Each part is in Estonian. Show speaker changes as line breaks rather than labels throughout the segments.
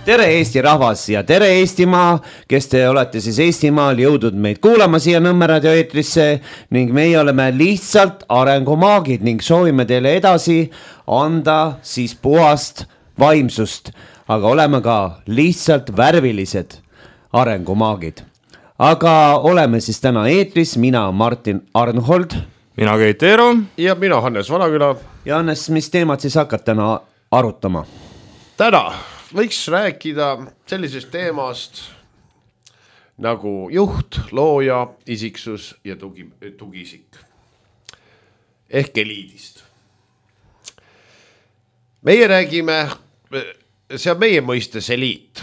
Tere Eesti rahvas ja tere Eestimaa, kes te olete siis Eestimaal jõudnud meid kuulama siia Nõmme Radio eetrisse ning meie oleme lihtsalt arengumaagid ning soovime teile edasi anda siis puhast vaimsust, aga oleme ka lihtsalt värvilised arengumaagid. Aga oleme siis täna eetris, mina Martin Arnhold.
Mina Keit Eero.
Ja mina Hannes Vanaküla.
Ja Hannes, mis teemad siis hakkad täna arutama?
Täna võiks rääkida sellisest teemast nagu juht, looja, isiksus ja tugiisik. Ehk eliidist. Meie räägime, see on meie mõistes eliit.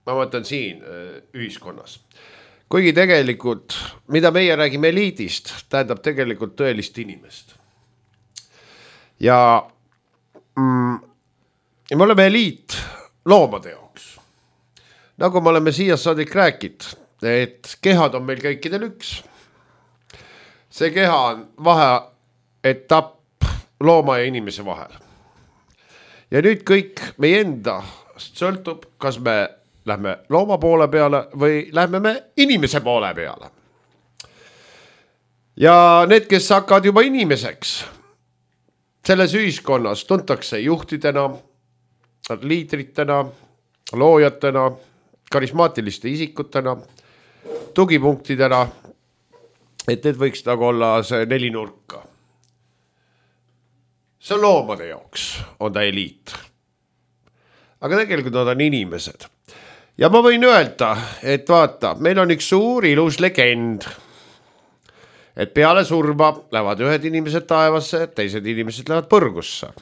Ma mõtlen siin ühiskonnas. Kuigi tegelikult, mida meie räägime eliidist, tähendab tegelikult tõelist inimest. Ja me oleme eliit loomade jaoks. Nagu me oleme siia saadik rääkid, et kehad on meil kõikidel üks. See keha on vaheetapp looma ja inimese vahel. Ja nüüd kõik meie enda sõltub, kas me lähme looma poole peale või lähme me inimese poole peale. Ja need, kes hakkavad juba inimeseks, selles ühiskonnas tuntakse juhtidena, liidritena, loojatena, karismaatiliste isikutena, tugipunktidena, et need võiks nagu olla see 4 nurka. See on loomade jaoks, on ta eliit. Aga tegelikult nad on inimesed. Ja ma võin öelda, et vaata, meil on üks suur ilus legend, et peale surma lähevad ühed inimesed taevasse, teised inimesed lähevad põrgusse.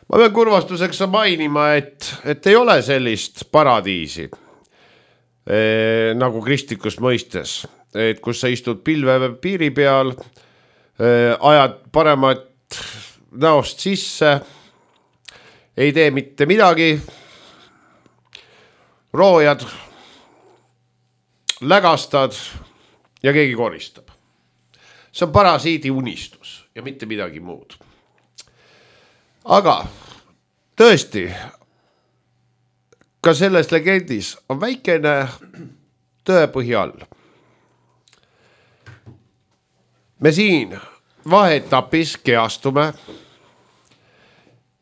Ma pean kurvastuseks mainima, et ei ole sellist paradiisi nagu kristlikus mõistes, et kus sa istud pilve piiri peal, ajad paremat näost sisse, ei tee mitte midagi, roojad, lägastad ja keegi koristab. See on parasiidi unistus ja mitte midagi muud. Aga tõesti, ka selles legendis on väikene tõepõhi all. Me siin vaheetapis keastume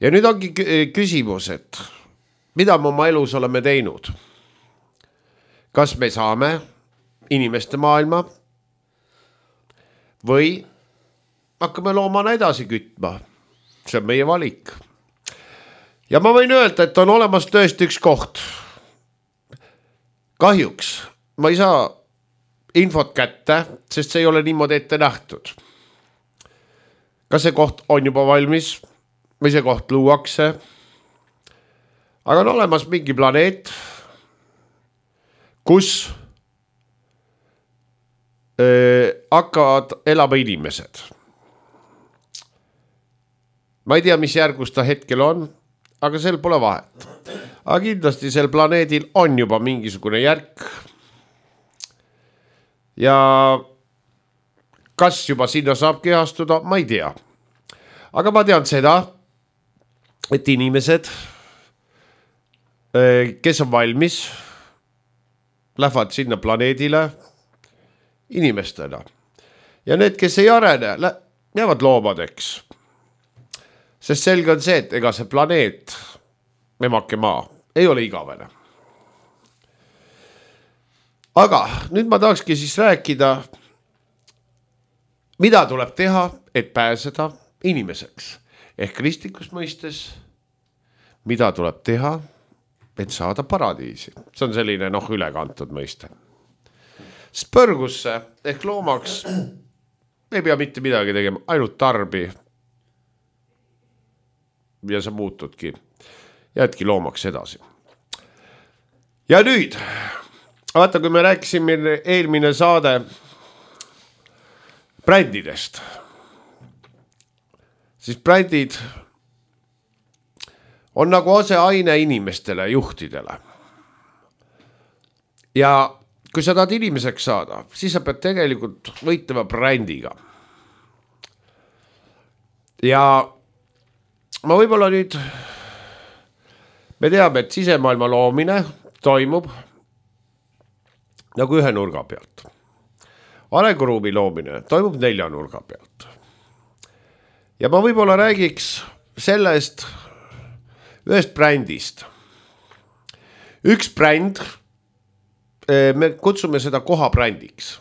ja nüüd ongi küsimus, et mida me oma elus oleme teinud? Kas me saame inimeste maailma või hakkame loomana edasi kütma? See on meie valik. Ja ma võin öelda, et on olemas tõesti üks koht. Kahjuks ma ei saa infot kätte, sest see ei ole niimoodi ette nähtud. Kas see koht on juba valmis või see koht luuakse? Aga on olemas mingi planeet, kus hakkavad elama inimesed. Ma ei tea, mis järgus ta hetkel on, aga sel pole vahet. Aga kindlasti sel planeedil on juba mingisugune järk. Ja kas juba sinna saab kehastuda, ma ei tea. Aga ma tean seda, et inimesed, kes on valmis, lähevad sinna planeedile inimestena. Ja need, kes ei arene, jäävad loomadeks. Sest selge on see, et ega see planeet, memake maa, ei ole igavene. Aga nüüd ma tahakski siis rääkida, mida tuleb teha, et pääseda inimeseks. Ehk kristlikus mõistes, mida tuleb teha, et saada paradiisi. See on selline ülekantud mõiste. Spõrgusse ehk loomaks ei pea mitte midagi tegema, ainult tarbi. Ja sa muutudki, jäädki loomaks edasi. Ja nüüd, vaata, kui me rääkisime eelmine saade brändidest, siis brändid on nagu aseaine inimestele, juhtidele. Ja kui sa tahad inimeseks saada, siis sa pead tegelikult võitlema brändiga. Ja ma võib-olla nüüd me teame, et sisemaailma loomine toimub nagu ühe nurga pealt. Arenguruumi loomine toimub 4 nurga pealt. Ja ma võib-olla räägiks sellest ühest brändist. Üks bränd, me kutsume seda kohabrändiks.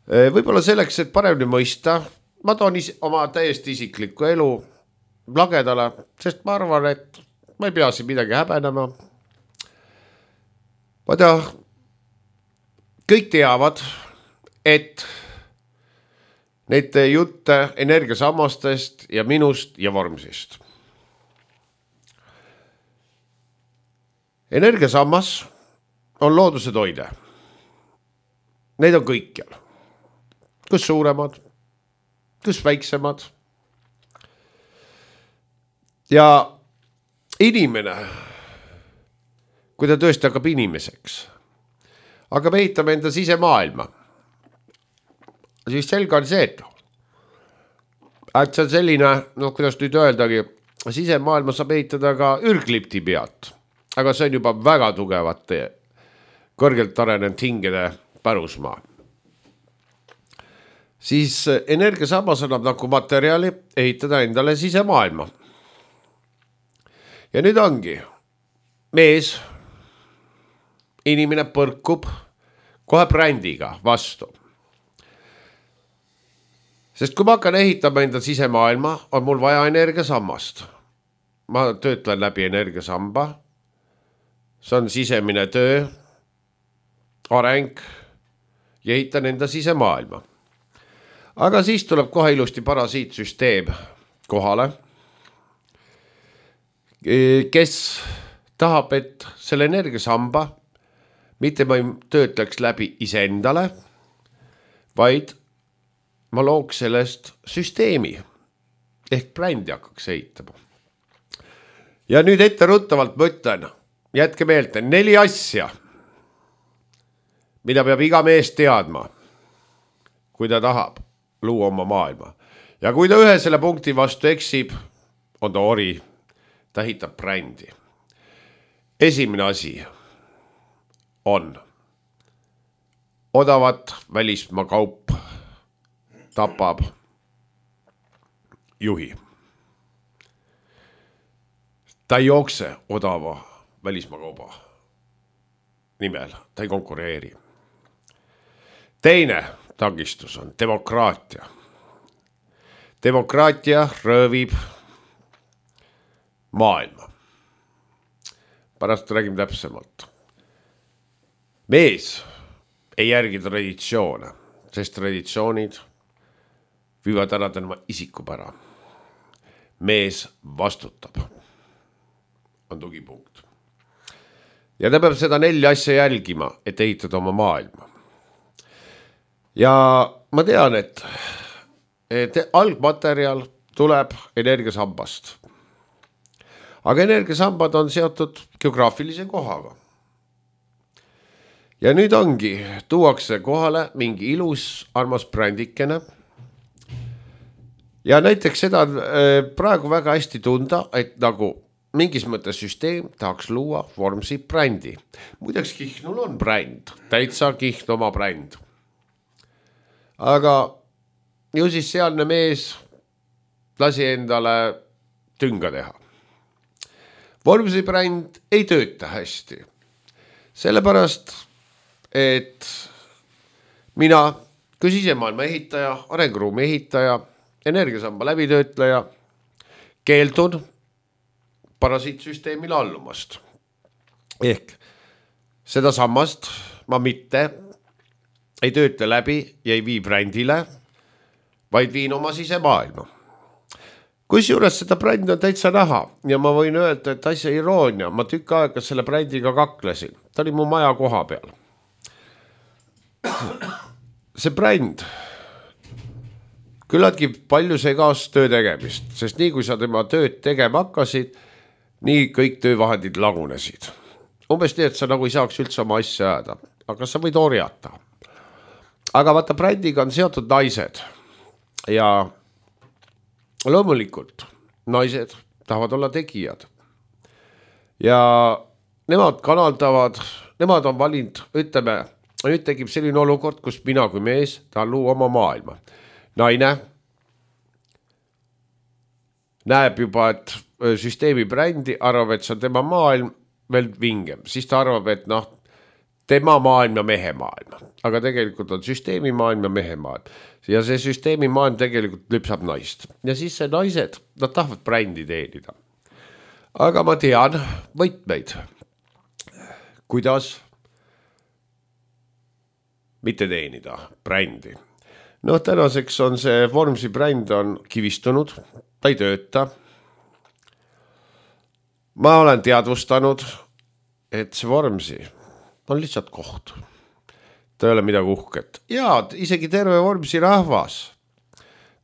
Võib-olla selleks, et paremini mõista, ma toon oma täiesti isiklikku elu lagedale, sest ma arvan, et ma ei pea siin midagi häbenema. Ma tean, kõik teavad, et neid jutte energiasammastest ja minust ja Vormsist. Energiasammas on looduse toide. Neid on kõikjal. Kus suuremad, kus väiksemad. Ja inimene, kui ta tõesti hakkab inimeseks, hakkab ehitama enda sisemaailma, siis selge on see, et see on selline, kuidas nüüd öeldagi, sisemaailma saab ehitada ka ürglipti pealt, aga see on juba väga tugevate, kõrgelt arenenud hingede pärusmaa. Siis energiasammas annab nagu materjali ehitada endale sisemaailma. Ja nüüd ongi mees, inimene põrkub kohe brändiga vastu. Sest kui ma hakkan ehitama enda sisemaailma, on mul vaja energiasammast. Ma töötlen läbi energiasamba. See on sisemine töö, areng ja ehitan enda sisemaailma. Aga siis tuleb kohe ilusti parasiitsüsteem kohale, kes tahab, et selle energiasamba mitte ma ei töötleks läbi iseendale, vaid ma looks sellest süsteemi ehk brändi hakkaks ehitama. Ja nüüd etteruttavalt ma ütlen, jätke meelde 4 asja, mida peab iga mees teadma, kui ta tahab luua oma maailma. Ja kui ta ühe selle punkti vastu eksib, on ta ori, ta ehitab brändi. Esimene asi on odavat välismaa kaup tapab juhi. Ta ei jookse odava välismaa kauba nimel, ta ei konkureeri. Teine takistus on demokraatia. Demokraatia röövib maailma. Pärast räägime täpsemalt. Mees ei järgi traditsioone, sest traditsioonid viivad ära tema isikupära. Mees vastutab. On tugipunkt. Ja ta peab seda 4 asja jälgima, et ehitada oma maailma. Ja ma tean, et algmaterjal tuleb energiasambast. Aga energiasambad on seotud geograafilise kohaga. Ja nüüd ongi, tuuakse kohale mingi ilus armas brändikene. Ja näiteks seda praegu väga hästi tunda, et nagu mingis mõttes süsteem tahaks luua Vormsi brändi. Muideks Kihnul on bränd, täitsa Kihn oma bränd. Aga ju siis sealne mees lasi endale tünga teha. Vormsi bränd ei tööta hästi. Sellepärast, et mina kui sisemaailma ehitaja, arenguruumi ehitaja, energiasamba läbitöötleja keeldun parasiitsüsteemile allumast. Ehk seda sammast ma mitte ei töötle läbi ja ei vii brändile, vaid viin oma sisemaailma. Kusjuures seda brändi on täitsa näha ja ma võin öelda, et asja iroonia, ma tükk aega selle brändiga kaklesin. Ta oli mu maja koha peal. See bränd küllaltki palju segast töö tegemist, sest nii kui sa tema tööd tegema hakkasid, nii kõik töövahendid lagunesid. Umbes nii, et sa nagu ei saaks üldse oma asja ajada, aga sa võid orjata. Aga vaata, brändiga on seotud naised ja loomulikult naised tahavad olla tegijad. ja nemad kanaldavad, nemad on valinud, ütleme, nüüd tekib selline olukord, kus mina kui mees tahan luua oma maailma. Naine näeb juba, et süsteemi brändi arvab, et see on tema maailm veel vingem. Siis ta arvab, et tema maailm ja mehe maailm. Aga tegelikult on süsteemi maailm ja mehe maailm. Ja see süsteemi maailm tegelikult lüpsab naist. Ja siis see naised, nad tahavad brändi teenida. Aga ma tean võtmeid, kuidas mitte teenida brändi. Tänaseks on see Vormsi bränd on kivistunud, ta ei tööta. Ma olen teadvustanud, et see Vormsi on lihtsalt koht. Ta ei ole midagi uhket. Ja isegi terve Vormsi rahvas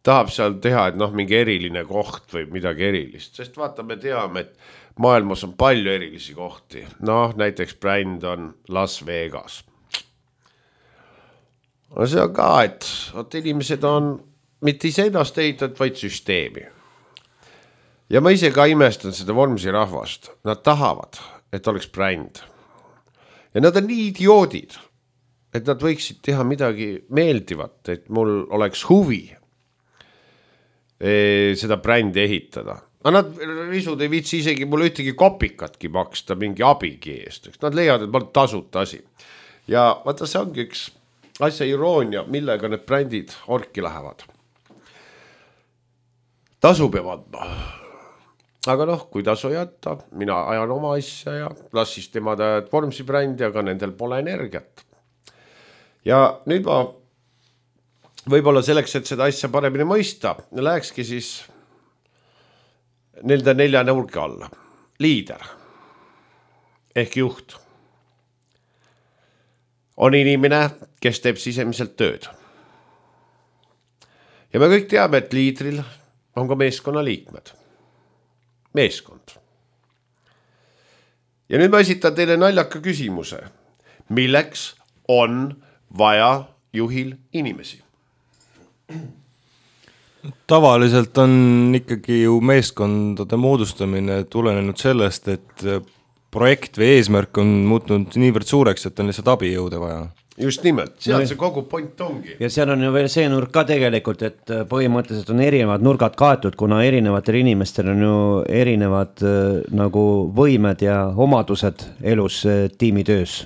tahab seal teha, et mingi eriline koht või midagi erilist. Sest vaata, me teame, et maailmas on palju erilisi kohti. Näiteks bränd on Las Vegas. See on ka, et inimesed on mitte ise ennast ehitanud, vaid süsteemi. Ja ma ise ka imestan seda Vormsi rahvast. Nad tahavad, et oleks bränd. Ja nad on nii idioodid, et nad võiksid teha midagi meeldivat, et mul oleks huvi seda brändi ehitada. Aga nad risud ei viitsi isegi mulle ühtegi kopikatki maksta mingi abigi eest. Nad leiavad, et ma olen tasuta asi. Ja vaata, see ongi üks asja iroonia, millega need brändid orki lähevad. Tasu peab andma. Aga kui tasu jätta, mina ajan oma asja ja las siis tema tajad Vormsi brändi, aga nendel pole energiat. Ja nüüd ma võib-olla selleks, et seda asja paremini mõista, lähekski siis nende 4 nurga alla. Liider ehk juht on inimene, kes teeb sisemiselt tööd. Ja me kõik teame, et liidril on ka meeskonna liikmed. Meeskond. Ja nüüd ma esitan teile naljaka küsimuse. Milleks on vaja juhil inimesi?
Tavaliselt on ikkagi ju meeskondade moodustamine tulenenud sellest, et projekt või eesmärk on muutunud niivõrd suureks, et on lihtsalt abijõude vaja.
Just nimelt, seal see kogu point ongi.
Ja seal on ju veel see nurk ka tegelikult, et põhimõtteliselt on erinevad nurgad kaetud, kuna erinevatel inimestel on ju erinevad nagu võimed ja omadused elus tiimitöös.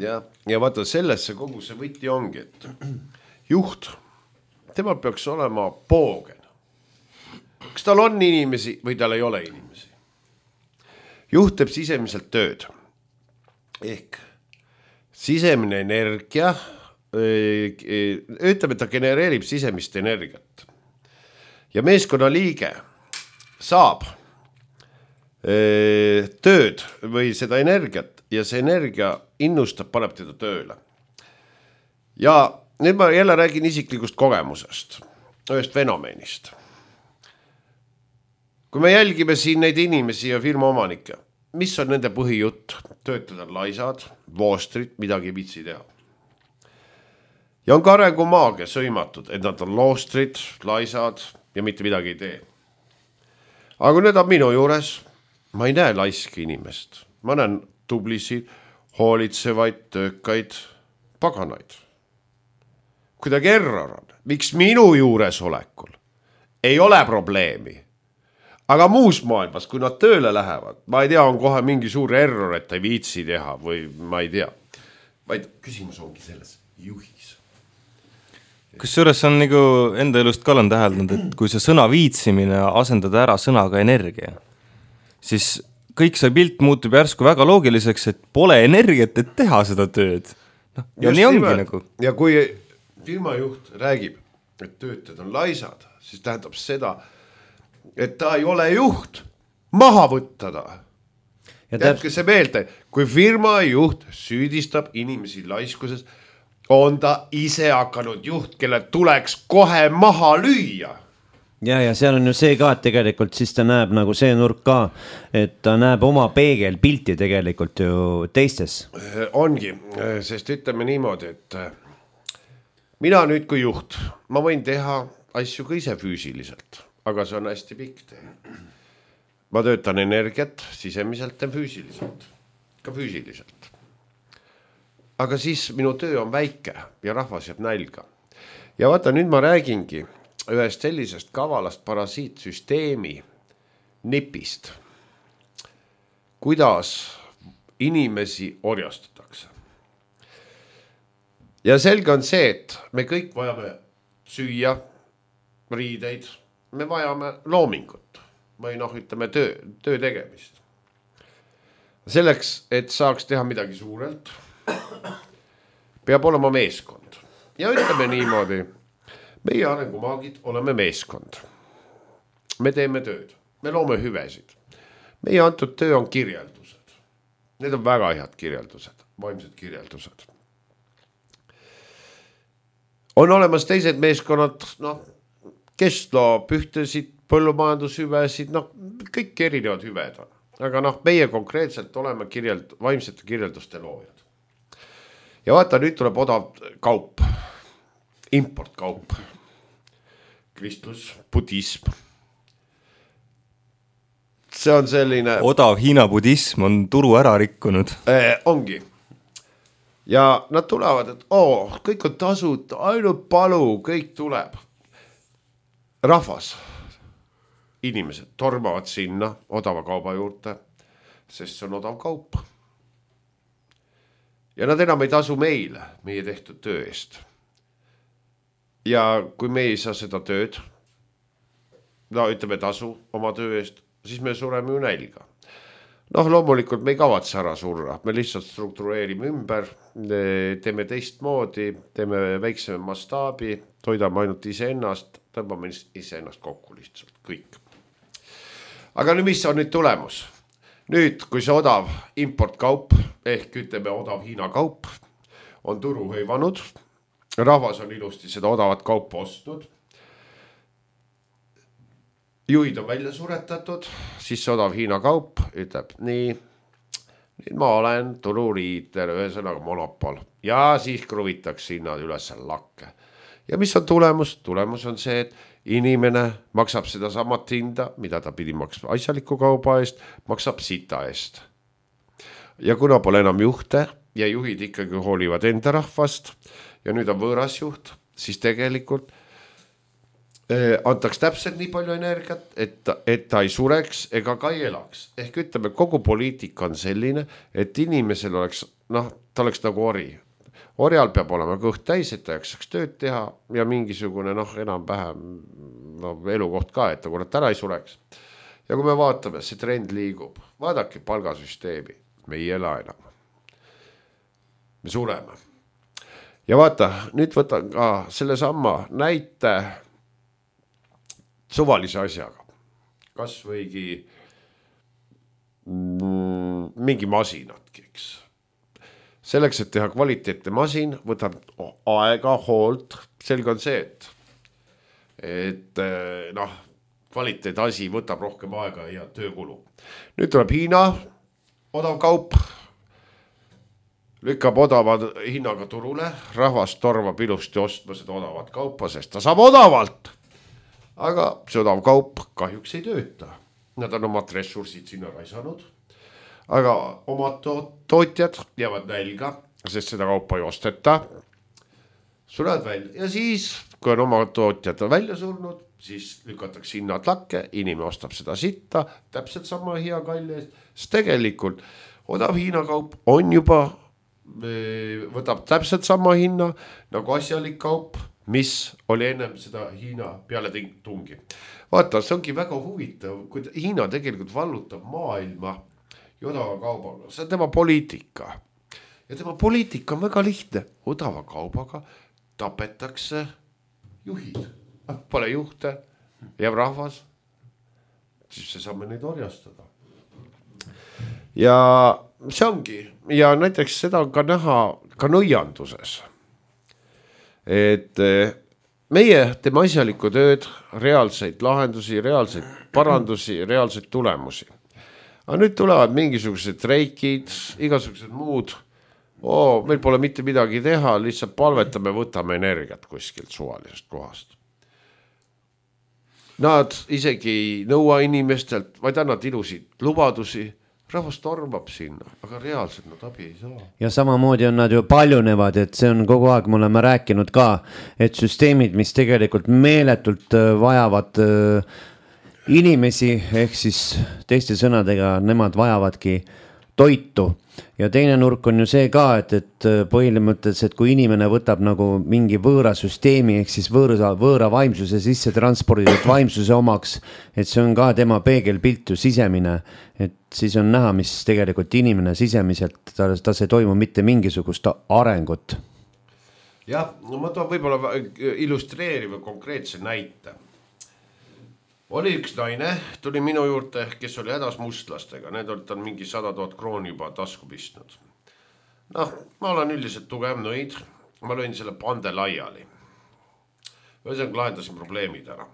Ja vaata, sellesse kogu see võti ongi, et juht, temal peaks olema poogen. Kas tal on inimesi või tal ei ole inimesi? Juht teeb sisemiselt tööd. Ehk sisemine energia, ütleme, ta genereerib sisemist energiat. Ja meeskonna liige saab tööd või seda energiat ja see energia innustab, paneb teda tööle. Ja nüüd ma jälle räägin isiklikust kogemusest, ühest fenomenist. Kui me jälgime siin neid inimesi ja firma omanikke, mis on nende põhijutt? Töötada laisad, voostrid, midagi ei viitsi teha. Ja on ka arengumaagia sõimatud, et nad on loostrid, laisad ja mitte midagi ei tee. Aga kui need on minu juures, ma ei näe laiski inimest. Ma näen tublisid, hoolitsevaid, töökaid, paganaid. Kuidagi error on. Miks minu juures olekul ei ole probleemi? Aga muus maailmas, kui nad tööle lähevad, ma ei tea, on kohe mingi suur error, et ei viitsi teha või ma ei tea. Vaid küsimus ongi selles juhis.
Kusjuures on nagu enda elust ka olen täheldanud, et kui see sõna viitsimine asendada ära sõnaga energia, siis kõik see pilt muutub järsku väga loogiliseks, et pole energiat, et teha seda tööd. Ja just nii ongi nagu.
Ja kui firmajuht räägib, et töötajad on laisad, siis tähendab seda, et ta ei ole juht, maha võtta ta. Jätke see meelde, kui firma juht süüdistab inimesi laiskuses, on ta ise hakanud juht, kelle tuleks kohe maha lüüa.
Ja seal on ju see ka, et tegelikult siis ta näeb nagu see nurk ka, et ta näeb oma peegelpilti tegelikult ju teistes.
Ongi, sest ütleme niimoodi, et mina nüüd kui juht, ma võin teha asju ka ise füüsiliselt. Aga see on hästi pikk tee. ma töötan energiat sisemiselt ja füüsiliselt, ka füüsiliselt. Aga siis minu töö on väike ja rahvas jääb nälga. Ja vaata, nüüd ma räägingi ühest sellisest kavalast parasiitsüsteemi nipist, kuidas inimesi orjastatakse. Ja selge on see, et me kõik vajame süüa, riideid, me vajame loomingut või ütleme töö tegemist. Selleks, et saaks teha midagi suurelt, peab olema meeskond. Ja ütleme niimoodi, meie arengumaagid oleme meeskond. Me teeme tööd, me loome hüvesid. Meie antud töö on kirjeldused. Need on väga head kirjeldused, vaimsed kirjeldused. On olemas teised meeskonnad, kes loob ühtesid põllumajandushüvesid, kõik erinevad hüved on. Aga meie konkreetselt oleme vaimsete kirjelduste loojad. Ja vaata, nüüd tuleb odav kaup, importkaup, kristlus, budism. See on selline...
Odav Hiina budism on turu ära rikkunud.
Ongi. Ja nad tulevad, et kõik on tasud, ainult palu, kõik tuleb. Rahvas, inimesed tormavad sinna odava kauba juurde, sest see on odav kaup. Ja nad enam ei tasu meile, meie tehtud töö eest. Ja kui me ei saa seda tööd, ütleme tasu oma töö eest, siis me sureme ju nälga. Loomulikult me ei kavatse ära surra, me lihtsalt struktureerime ümber, teeme teistmoodi, teeme väikseme mastaabi, toidame ainult iseennast, tõmbame iseennast kokku lihtsalt, kõik. Aga nüüd mis on nüüd tulemus? Nüüd, kui see odav importkaup, ehk ütleme odav Hiina kaup, on turu hõivanud, rahvas on ilusti seda odavat kaupa ostnud, juhid on välja suretatud, siis see odav Hiina kaup ütleb, nii, nüüd ma olen tururiiter, ühesõnaga monopol, ja siis kruvitakse hinnad üles lakke. Ja mis on tulemus? Tulemus on see, et inimene maksab seda samat hinda, mida ta pidi maksma asjaliku kauba eest, maksab sita eest. Ja kuna pole enam juhte ja juhid ikkagi hoolivad enda rahvast ja nüüd on võõras juht, siis tegelikult antaks täpselt nii palju energiat, et ta ei sureks ega ka ei elaks. Ehk ütleme, kogu poliitika on selline, et inimesel oleks, ta oleks nagu ori. Orjal peab olema kõht täis, et ta jaksaks tööd teha ja mingisugune enam-vähem elukoht ka, et ta kurat ära ei sureks. Ja kui me vaatame, see trend liigub, vaadake palgasüsteemi, me ei ela enam. Me sureme. Ja vaata, nüüd võtan ka selle samma näite suvalise asjaga. Kas võigi mingi masinatki, eks. Selleks, et teha kvaliteetne masin, võtab aega, hoolt. Selge on see, et kvaliteet asi võtab rohkem aega ja töökulu. Nüüd tuleb Hiina odav kaup, lükkab odava hinnaga turule, rahvas torvab ilusti ostma seda odavat kaupa, sest ta saab odavalt. Aga see odav kaup kahjuks ei tööta. Nad on omad ressursid sinna raisanud. Aga omad tootjad jäävad nälga, sest seda kaupa ei osteta. Sulevad välja. Ja siis, kui on omad tootjad välja surnud, siis lükatakse hinnad lakke, inimene ostab seda sitta, täpselt sama hea kalli eest. Sest tegelikult odav Hiina kaup on juba, võtab täpselt sama hinna nagu asjalik kaup, mis oli ennem seda Hiina peale tungi. Vaata, see ongi väga huvitav, kui Hiina tegelikult vallutab maailma odava kaubaga, see on tema poliitika. Ja tema poliitika on väga lihtne. Odava kaubaga tapetakse juhid. Pole juhte, jääb rahvas, siis see saame neid orjastada. Ja see ongi. Ja näiteks seda on ka näha ka nõianduses. Et meie teeme asjalikku tööd, reaalseid lahendusi, reaalseid parandusi, reaalseid tulemusi. Aga nüüd tulevad mingisugused reikid, igasugused muud. Meil pole mitte midagi teha, lihtsalt palvetame, võtame energiat kuskilt suvalisest kohast. nad isegi ei nõua inimestelt, vaid annavad ilusid lubadusi, rahvas tormab sinna, aga reaalselt nad abi ei saa.
Ja samamoodi on nad ju paljunevad, et see on kogu aeg, me oleme rääkinud ka, et süsteemid, mis tegelikult meeletult vajavad inimesi, ehk siis teiste sõnadega, nemad vajavadki toitu. Ja teine nurk on ju see ka, et põhimõtteliselt, kui inimene võtab nagu mingi võõra süsteemi, ehk siis võõra vaimsuse sisse transporditud vaimsuse omaks, et see on ka tema peegelpilt ju sisemine, et siis on näha, mis tegelikult inimene sisemiselt, ta see toimu mitte mingisugust arengut.
Jah, no ma toon võib-olla illustreeriva konkreetse näite. Oli üks naine, tuli minu juurde, kes oli hädas mustlastega, need olid tal mingi 100 000 krooni juba tasku pistnud. Noh, ma olen üldiselt tugev nõid, ma lõin selle pande laiali. Ühesõnaga lahendasin probleemid ära.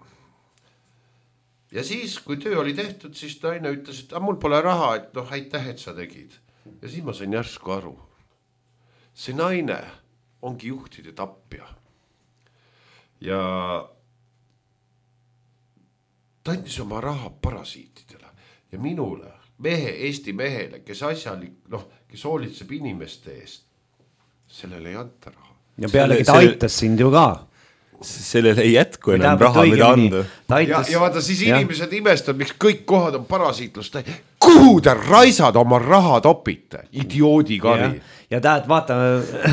Ja siis, kui töö oli tehtud, siis naine ütles, et mul pole raha, et noh, aitäh, et sa tegid. Ja siis ma sain järsku aru. See naine ongi juhtide tappja. Ja ta andis oma raha parasiitidele ja minule, Eesti mehele, kes asjalik, kes hoolitseb inimeste eest, sellele ei anta raha.
Ja pealegi ta aitas sind ju ka.
Sellele ei jätku enam raha, mida anda.
Ja vaata siis inimesed imestavad, miks kõik kohad on parasiitlust. Kuhu te raisad oma raha topite? Idioodi kari.
Ja tahad vaata,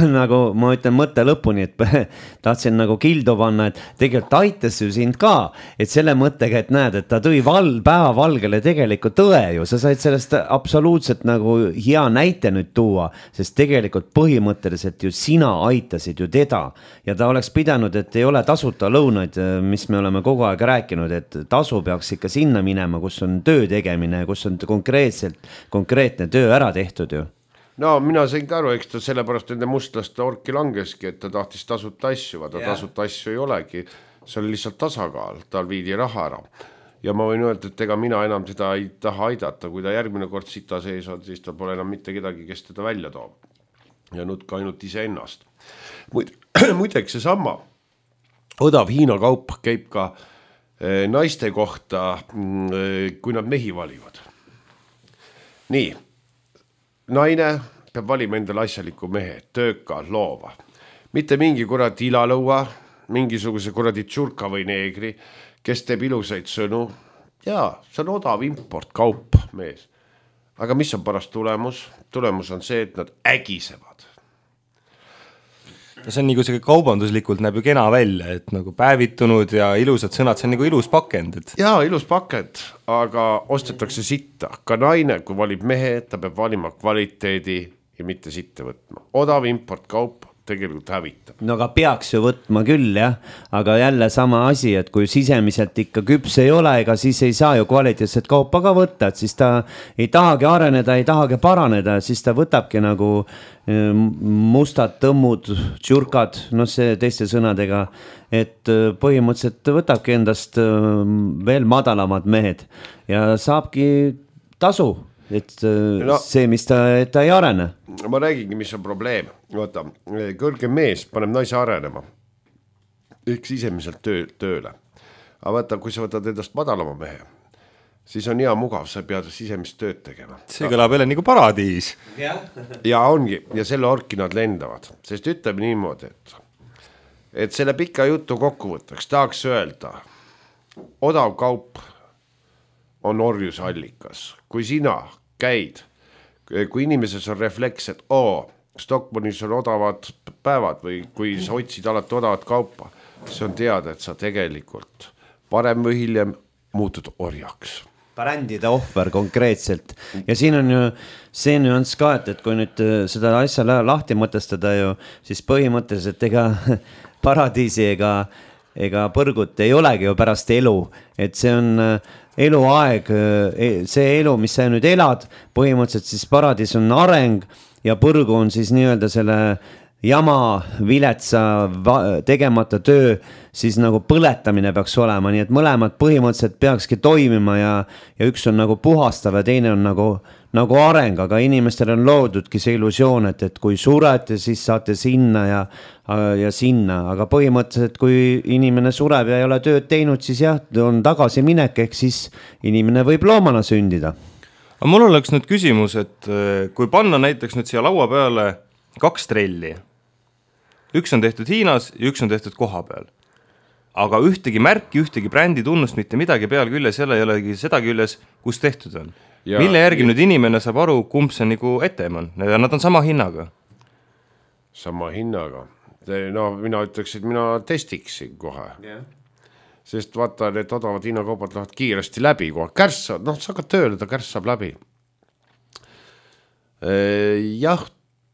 nagu ma ütlen mõtte lõpuni, et tahtsin nagu kildu panna, et tegelikult aitas ju sind ka, et selle mõttega, et näed, et ta tõi päevavalgele tegelikult tõe ju, sa said sellest absoluutselt nagu hea näite nüüd tuua, sest tegelikult põhimõtteliselt ju sina aitasid ju teda ja ta oleks pidanud, et ei ole tasuta lõunaid, mis me oleme kogu aeg rääkinud, et tasu peaks ikka sinna minema, kus on töö tegemine, kus on konkreetne töö ära tehtud ju.
No mina sain ka aru, eks ta sellepärast nende mustlaste orki langeski, et ta tahtis tasuta asju, vaata tasuta asju ei olegi, see oli lihtsalt tasakaal, tal viidi raha ära. Ja ma võin öelda, et ega mina enam teda ei taha aidata, kui ta järgmine kord sita sees on, siis ta pole enam mitte kedagi, kes teda välja toob. Ja nutka ainult ise ennast. Muideks see sama odav Hiina kaup käib ka naiste kohta, kui nad mehi valivad. Nii. Naine peab valima endale asjaliku mehe, tööka, loova. Mitte mingi kuradi ilalõua, mingisuguse kuradi tšurka või neegri, kes teeb ilusaid sõnu. Jaa, see on odav import kaup mees. Aga mis on parast tulemus? Tulemus on see, et nad ägisevad.
See on nagu see kaubanduslikult näeb ju kena välja, et nagu päevitunud ja ilusad sõnad, see on nagu ilus pakend.
Jaa, ilus pakend, aga ostetakse sitta. Ka naine, kui valib mehe, ta peab valima kvaliteedi ja mitte sitte võtma. Odav import kaup tegelikult hävitab.
No aga peaks ju võtma küll, jah. Aga jälle sama asi, et kui sisemiselt ikka küps ei ole, ega siis ei saa ju kvaliteetset kaupa ka võtta, et siis ta ei tahagi areneda, ei tahagi paraneda, siis ta võtabki nagu mustad tõmmud, tšurkad, see teiste sõnadega, et põhimõtteliselt võtabki endast veel madalamad mehed ja saabki tasu. Et see, mis ta ei arene.
Ma räägingi, mis on probleem. Vaata, kõrge mees paneb naise arenema. Ehk sisemiselt tööle. Aga vaata, kui sa võtad endast madalama mehe, siis on hea mugav, sa pead sisemist tööd tegema.
See kõlab jälle nagu paradiis.
Ja ongi, ja selle orki nad lendavad. Sest ütleme niimoodi, et selle pika jutu kokkuvõttaks tahaks öelda, odav kaup on orjusallikas. Kui sina käid, kui inimeses on refleks, et Stockmannis on odavad päevad või kui sa otsid alati odavat kaupa, see on teada, et sa tegelikult parem või hiljem muutud orjaks.
Brändide ohver konkreetselt. Ja siin on ju see nüanss ka, et kui nüüd seda asja lahti mõtestada ju, siis põhimõtteliselt ega paradiisi ega põrgut ei olegi ju pärast elu, et see on eluaeg, see elu, mis sa nüüd elad, põhimõtteliselt siis paradiis on areng ja põrgu on siis nii-öelda selle jama, viletsa, tegemata töö, siis nagu põletamine peaks olema, nii et mõlemad põhimõtteliselt peakski toimima ja üks on nagu puhastav ja teine on nagu areng, aga inimestel on loodudki see illusioon, et kui surete, siis saate sinna ja sinna, aga põhimõtteliselt kui inimene sureb ja ei ole tööd teinud, siis jah, on tagasiminek, ehk siis inimene võib loomana sündida.
Aga mul oleks nüüd küsimus, et kui panna näiteks nüüd siia laua peale 2 trelli, üks on tehtud Hiinas ja üks on tehtud koha peal, aga ühtegi märki, ühtegi brändi tunnust, mitte midagi peal küljes, jälle ei olegi seda küljes, kus tehtud on. Ja, mille järgi nüüd inimene saab aru, kumb see nagu etem on ja nad on sama hinnaga?
Sama hinnaga. No mina ütleks, et mina testiksin kohe. Yeah. Sest vaata, need odavad hinnakaubad lähevad kiiresti läbi kohe. Kärss, sa hakkad tööle, ta kärss saab läbi. Jah,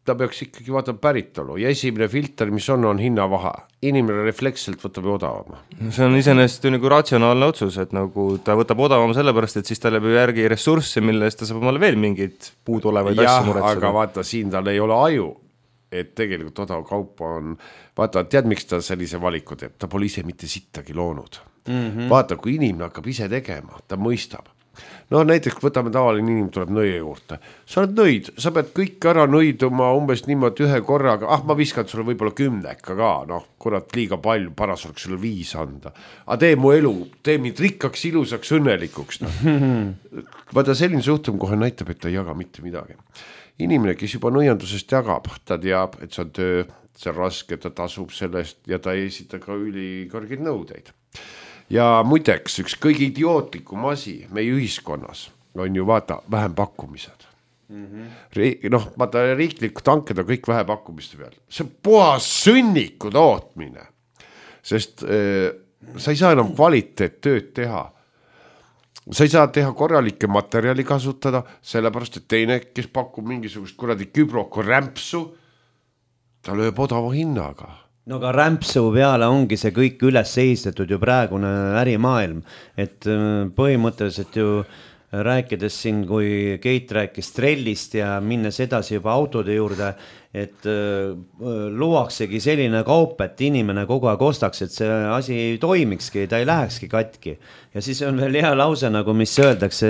ta peaks ikkagi vaatama päritolu ja esimene filter, mis on hinnavahe. Inimene refleksselt võtab odavama.
See on iseenesest ju nagu ratsionaalne otsus, et nagu ta võtab odavama sellepärast, et siis ta läbi järgi ressursse, mille eest ta saab omale veel mingid puuduolevaid asju muretseda.
Aga vaata, siin tal ei ole aju, et tegelikult odav kaupa on, vaata, tead, miks ta sellise valiku teeb, ta pole ise mitte sittagi loonud. Vaata, kui inimene hakkab ise tegema, ta mõistab. No näiteks võtame tavaline inimene tuleb nõie juurde. Sa oled nõid, sa pead kõik ära nõiduma umbes niimoodi ühe korraga. Ma viskan sulle võib-olla 10 ka, kurat liiga palju, paras oleks sulle 5 anda. Aga tee mu elu, tee mind rikkaks, ilusaks, õnnelikuks. Vaata, selline suhtum kohe näitab, et ta ei jaga mitte midagi. Inimene, kes juba nõiandusest jagab, ta teab, et see on töö, see on raske, ta tasub sellest ja ta ei esita ka ülikõrgeid nõudeid. Ja muideks, üks kõige idiootlikum asi meie ühiskonnas on ju vaata vähempakkumised. Vaata riiklikud hanked on kõik vähempakkumiste peal. See on puhas sõnniku tootmine, sest sa ei saa enam kvaliteettööd teha. Sa ei saa teha korralikke materjali kasutada, sellepärast, et teine, kes pakub mingisugust kuradi kübroko rämpsu, ta lööb odava hinnaga.
No ka rämpsu peale ongi see kõik üles ehistatud ju praegune ärimaailm, et põhimõtteliselt ju rääkides siin, kui Keit rääkis trellist ja minnes edasi juba autode juurde, et luuaksegi selline kaup, et inimene kogu aeg ostaks, et see asi ei toimikski, ta ei lähekski katki. Ja siis on veel hea lause, nagu mis öeldakse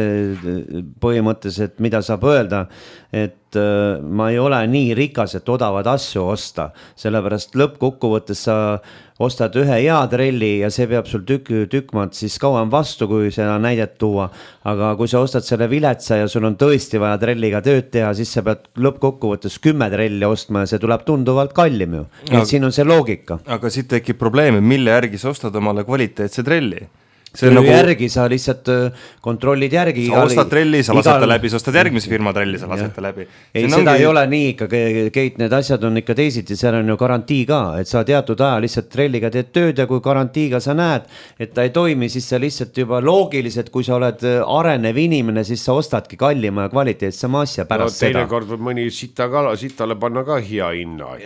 põhimõtteliselt, mida saab öelda, et ma ei ole nii rikas, et odavad asju osta, sellepärast lõppkokkuvõttes sa ostad ühe hea trelli ja see peab sul tükmad siis kauem vastu, kui seda näidet tuua, aga kui sa ostad selle viletsa ja sul on tõesti vaja trelliga tööd teha, siis sa pead lõppkokkuvõttes 10 trelli ostma ja see tuleb tunduvalt kallim ju. Et siin on see loogika.
Aga siit tekib probleemi, mille järgi sa ostad omale kvaliteetse trelli?
See nagu... järgi sa lihtsalt kontrollid järgi.
Sa ostad trelli, sa lasete läbi, sa ostad järgmise firma trelli, sa lasete läbi.
Ei, seda ei ole nii ikka, Keit, need asjad on ikka teisiti, seal on ju garantii ka, et sa teatud aja lihtsalt trelliga teed tööd ja kui garantiiga sa näed, et ta ei toimi, siis sa lihtsalt juba loogiliselt, kui sa oled arenev inimene, siis sa ostadki kallima ja kvaliteetsema asja pärast seda.
Teine kord võib mõni sitale panna ka hea hinna,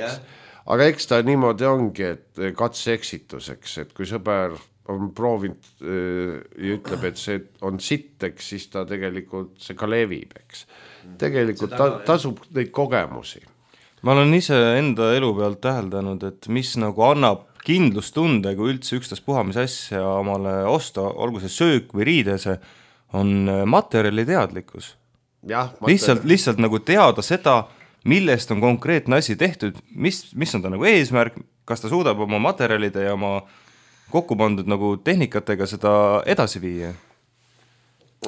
aga eks ta niimoodi ongi, et katse eksituseks, et kui sõber on proovinud ja ütleb, et see on sitteks, siis ta tegelikult see ka levib, eks. Tegelikult tasub neid kogemusi.
Ma olen ise enda elu pealt täheldanud, et mis nagu annab kindlustunde, kui üldse ükstaspuha mis asja omale osta, olgu see söök või riidese, on materjali teadlikkus. Lihtsalt nagu teada seda, millest on konkreetne asi tehtud, mis on ta nagu eesmärk, kas ta suudab oma materjalide ja oma kokku pandud nagu tehnikatega seda edasi viia.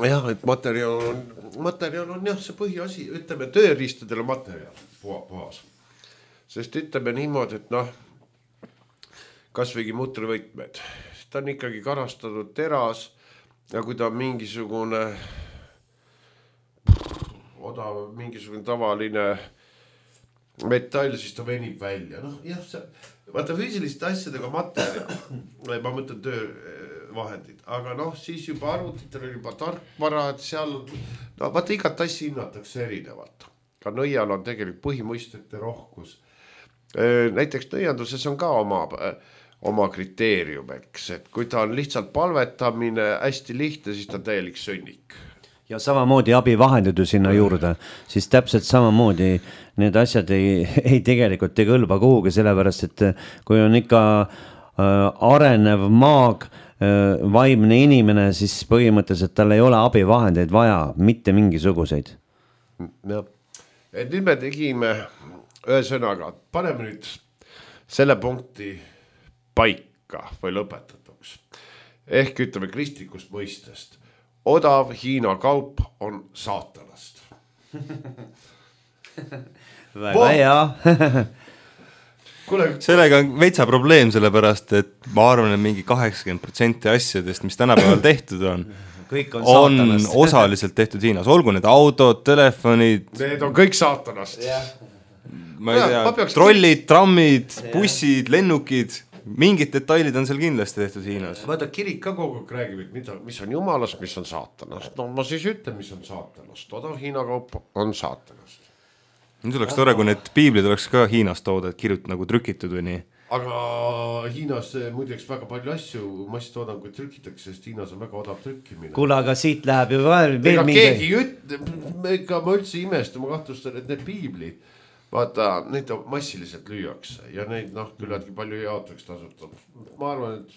Jah, et materjal on jah, see põhiasi, ütleme tööriistadele materjal puhas. Sest ütleme niimoodi, et kas võigi mutrivõtmed, ta on ikkagi karastatud teras ja kui ta on mingisugune odav, mingisugune tavaline metall, siis ta venib välja. Jah, vaata füüsiliste asjadega materjal, ma mõtlen töövahendid, aga siis juba arvutitel on juba tarkvara, et seal, vaata igat asja hinnatakse erinevalt. Ka nõial on tegelikult põhimõistete rohkus. Näiteks nõianduses on ka oma kriteerium, eks, et kui ta on lihtsalt palvetamine hästi lihtne, siis ta on täielik sõnnik.
ja samamoodi abivahendid ju sinna juurde, siis täpselt samamoodi need asjad ei tegelikult ei kõlba kuhugi, sellepärast et kui on ikka arenev maag, vaimne inimene, siis põhimõtteliselt tal ei ole abivahendeid vaja, mitte mingisuguseid.
Ja. Et nüüd me tegime ühesõnaga, paneme nüüd selle punkti paika või lõpetatuks. Ehk ütleme kristlikust mõistest. Odav Hiina kaup on saatanast.
Väga hea.
Sellega on veitsa probleem, sellepärast, et ma arvan, et mingi 80% asjadest, mis tänapäeval tehtud on osaliselt tehtud Hiinas. Olgu need autod, telefonid.
Need on kõik saatanast.
Ma ei tea, trollid, trammid, bussid, lennukid. Mingid detailid on seal kindlasti tehtud Hiinas.
Vaata, kirik ka kogu aeg räägib, mis on jumalast, mis on saatanast. No ma siis ütlen, mis on saatanast. Odav Hiina kaup on saatanast.
Nüüd oleks tore, kui need piiblid oleks ka Hiinast toodud, nagu trükitud või nii.
Aga Hiinas muideks väga palju asju masstoodanguid trükitakse, sest Hiinas on väga odav trükkimine.
Kuule, aga siit läheb ju veel
keegi ma üldse imestan, ma kahtlustan, et need piiblid, vaata, neid massiliselt lüüakse ja neid küllaltki palju jaotuks tasutab. Ma arvan, et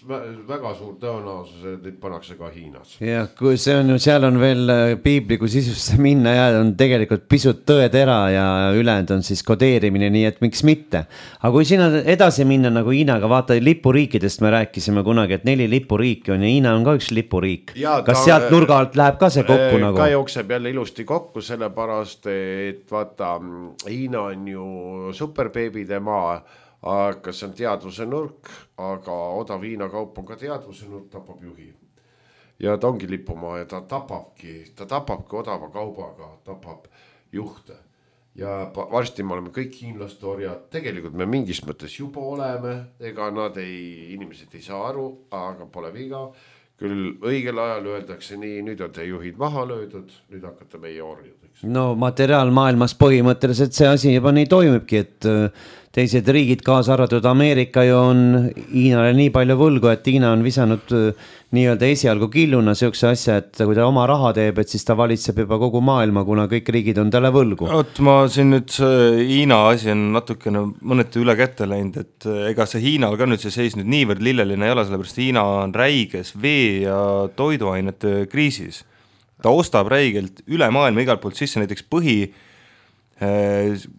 väga suur tõenäosus, et neid pannakse ka Hiinas.
Ja, kui see on ju, seal on veel piibli, kui sisusse minna ja on tegelikult pisut tõetera ja ülejäänud on siis kodeerimine, nii et miks mitte. Aga kui sinna edasi minna nagu Hiinaga, vaata lipuriikidest me rääkisime kunagi, et 4 lipuriiki on ja Hiina on ka üks lipuriik. Kas sealt nurga alt läheb ka see kokku nagu?
Ka jookseb jälle ilusti kokku, sellepärast, et vaata, Hiina on ju superbeebide maa, aga see on teadvuse nurk, aga odav Hiina kaup on ka teadvuse nurk, tapab juhi. Ja ta ongi lipumaa ja ta tapabki odava kaubaga, tapab juhte. Ja varsti me oleme kõik hiinlaste orjad, tegelikult me mingis mõttes juba oleme, ega inimesed ei saa aru, aga pole viga. Küll õigel ajal öeldakse nii, nüüd on te juhid maha löödud, nüüd hakkate meie orjadeks.
No materiaalmaailmas põhimõtteliselt see asi juba nii toimibki, et teised riigid, kaasa arvatud Ameerika ju on Hiinale nii palju võlgu, et Hiina on visanud nii-öelda esialgu killuna siukse asja, et kui ta oma raha teeb, et siis ta valitseb juba kogu maailma, kuna kõik riigid on talle võlgu.
Ma siin nüüd Hiina asi on natukene mõneti üle kätte läinud, et ega see Hiinal ka nüüd see seis nüüd niivõrd lilleline ei ole, sellepärast Hiina on räiges vee ja toiduainete kriisis. Ta ostab räigelt üle maailma igalt poolt sisse, näiteks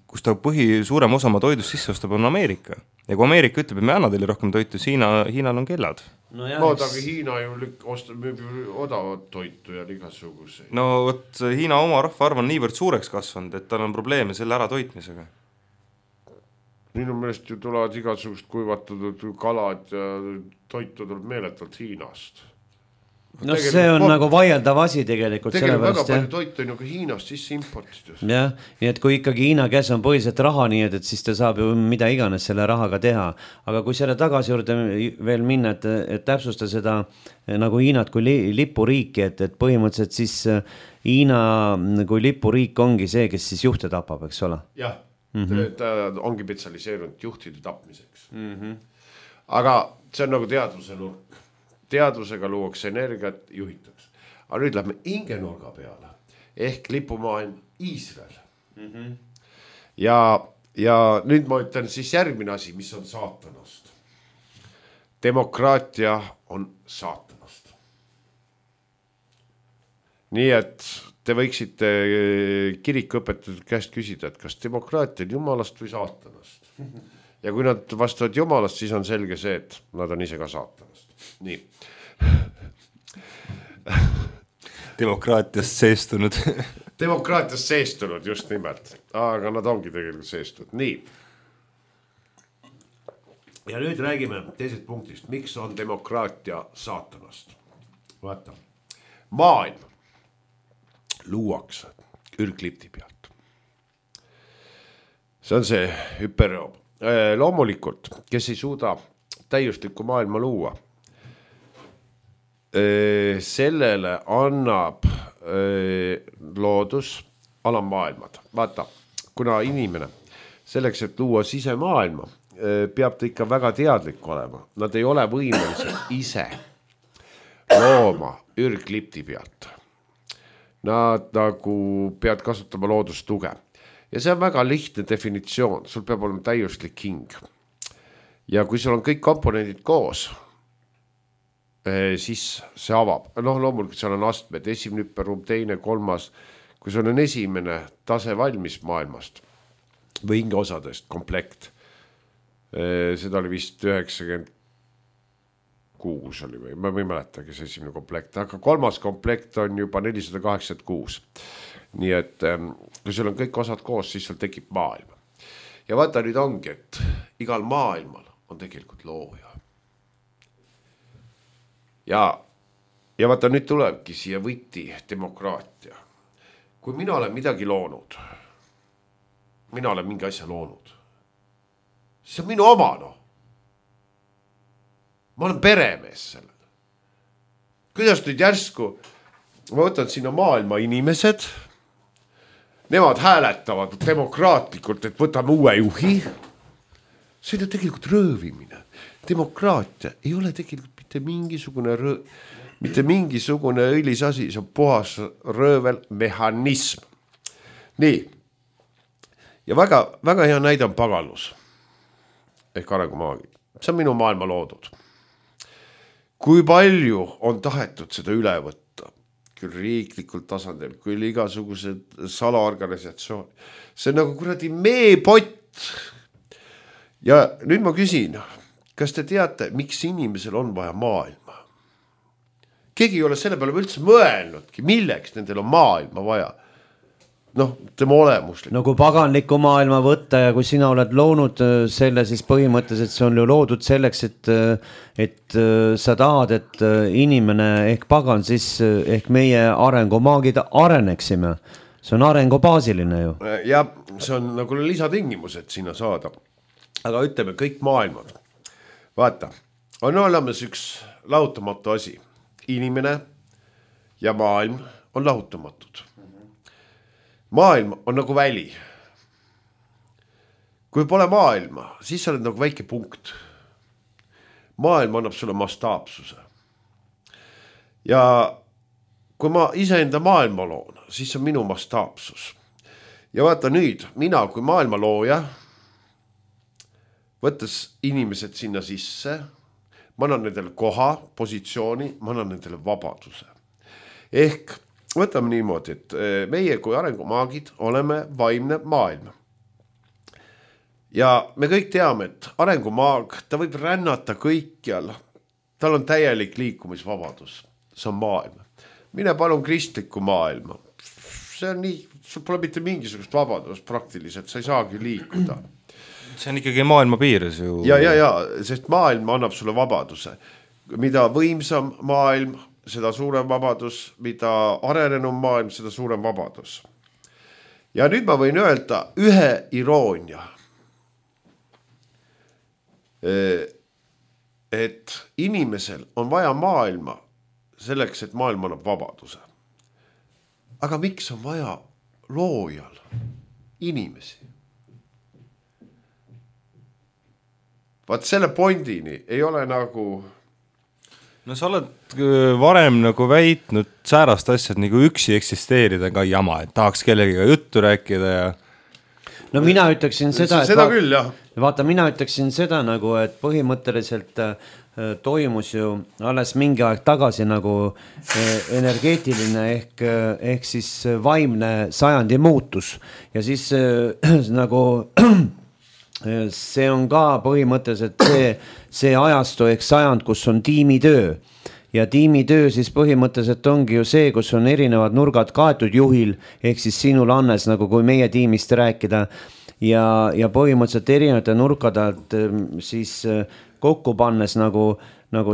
kus ta suurem osa oma toidust sisse ostab on Ameerika. Ja kui Ameerika ütleb, et me anna teile rohkem toitu, siis Hiinal on kellad.
Aga Hiina ju müüb odavat toitu ja igasuguseid.
No võt, Hiina oma rahvaarv on niivõrd suureks kasvanud, et tal on probleeme selle ära toitmisega.
Minu meelest ju tulevad igasugust kuivatatud kalad ja toitu tuleb meeletult Hiinast.
No see on nagu vaieldav asi tegelikult.
Tegelikult väga palju toitu on ju ka Hiinast sisse importides.
Jah, nii et kui ikkagi Hiina käes on põhiliselt raha, nii et siis ta saab ju mida iganes selle rahaga teha. Aga kui selle tagasi juurde veel minna, et täpsusta seda nagu Hiinat kui lipuriiki, et põhimõtteliselt siis Hiina kui lipuriik ongi see, kes siis juhte tapab, eks ole?
Jah, ta ongi spetsialiseerunud juhtide tapmiseks. Aga see on nagu teadvuse nurk. Teadvusega luuakse energiat, juhitakse. Aga nüüd lähme ingenurga peale, ehk lipumaailm Iisrael. Ja nüüd ma ütlen siis järgmine asi, mis on saatanast. Demokraatia on saatanast. Nii et te võiksite kirikuõpetatud käest küsida, et kas demokraatia on jumalast või saatanast. Ja kui nad vastavad jumalast, siis on selge see, et nad on ise ka saatanast. Nii.
Demokraatiast seestunud.
Demokraatiast seestunud, just nimelt. Aga nad ongi tegelikult seestunud. Nii. Ja nüüd räägime teisest punktist. Miks on demokraatia saatanast? Vaata. Maailm luuakse ürglipti pealt. See on see hüperjoob. Loomulikult, kes ei suuda täiuslikku maailma luua, sellele annab loodus alammaailmad. Vaata, kuna inimene selleks, et luua sisemaailma, peab ta ikka väga teadlik olema. Nad ei ole võimelised ise looma ürglipti pealt. nad nagu peavad kasutama loodustuge. Ja see on väga lihtne definitsioon, sul peab olema täiuslik hing. Ja kui sul on kõik komponendid koos, siis see avab. Loomulikult seal on astmed, esimene hüpperuum, teine, kolmas. Kui sul on esimene tase valmis maailmast või hingeosadest komplekt, seda oli vist 96 oli või, ma ei mäletagi see esimene komplekt, aga kolmas komplekt on juba 486. Nii et kui sul on kõik osad koos, siis sul tekib maailm. Ja vaata nüüd ongi, et igal maailmal on tegelikult looja. Ja vaata nüüd tulebki siia võti demokraatia. Kui mina olen midagi loonud, mina olen mingi asja loonud, see on minu oma, Ma olen peremees sellele. Kuidas nüüd järsku, ma võtan sinna maailma inimesed, nemad hääletavad demokraatlikult, et võtame uue juhi. See on tegelikult röövimine. Demokraatia ei ole tegelikult mitte mingisugune õilis asi, see on puhas röövel mehhanism. Nii. Ja väga, väga hea näide on pagalus ehk arengumaagi. See on minu maailma loodud. Kui palju on tahetud seda üle võtta, küll riiklikul tasandil, küll igasugused salaorganisatsioon. See on nagu kuradi meepott. Ja nüüd ma küsin, kas te teate, miks inimesel on vaja maailma? Keegi ei ole selle peale üldse mõelnudki, milleks nendel on maailma vaja. Tema olemuslik.
No kui paganliku maailma võtta ja kui sina oled loonud selle, siis põhimõtteliselt see on ju loodud selleks, et sa tahad, et inimene ehk pagan, siis ehk meie arengumaagid areneksime. See on arengubaasiline ju.
Ja see on nagu lisatingimused sinna saada. Aga ütleme kõik maailmad. Vaata, on olemas üks lahutamatu asi. Inimene ja maailm on lahutamatud. Maailm on nagu väli. Kui pole maailma, siis sa oled nagu väike punkt. Maailm annab sulle mastaapsuse. Ja kui ma iseenda maailma loon, siis on minu mastaapsus. Ja vaata nüüd, mina kui maailma looja, võttes inimesed sinna sisse, ma annan nendele koha, positsiooni, ma annan nendele vabaduse. Ehk võtame niimoodi, et meie kui arengumaagid oleme vaimne maailm. Ja me kõik teame, et arengumaag, ta võib rännata kõikjal. Tal on täielik liikumisvabadus. See on maailm. Mine palun kristlikku maailma. See on nii, sul pole mitte mingisugust vabadust praktiliselt, sa ei saagi liikuda.
See on ikkagi maailma piires ju.
Ja, sest maailm annab sulle vabaduse. Mida võimsam maailm, seda suurem vabadus, mida arenenum maailm, seda suurem vabadus. Ja nüüd ma võin öelda ühe iroonia. Et inimesel on vaja maailma selleks, et maailm annab vabaduse. Aga miks on vaja loojal inimesi? Vaat selle pointini ei ole nagu...
No sa oled varem nagu väitnud säärast asjad nagu üksi eksisteerida ka jama, et tahaks kellegiga juttu rääkida ja...
No mina ütleksin seda,
seda küll, jah.
Vaata, mina ütleksin seda nagu, et põhimõtteliselt toimus ju alles mingi aeg tagasi nagu energeetiline ehk siis vaimne sajandi muutus ja siis nagu see on ka põhimõtteliselt see ajastu ehk sajand, kus on tiimitöö ja tiimitöö siis põhimõtteliselt ongi ju see, kus on erinevad nurgad kaetud juhil ehk siis sinul Annes, nagu kui meie tiimist rääkida ja põhimõtteliselt erinevate nurkadelt siis kokku pannes nagu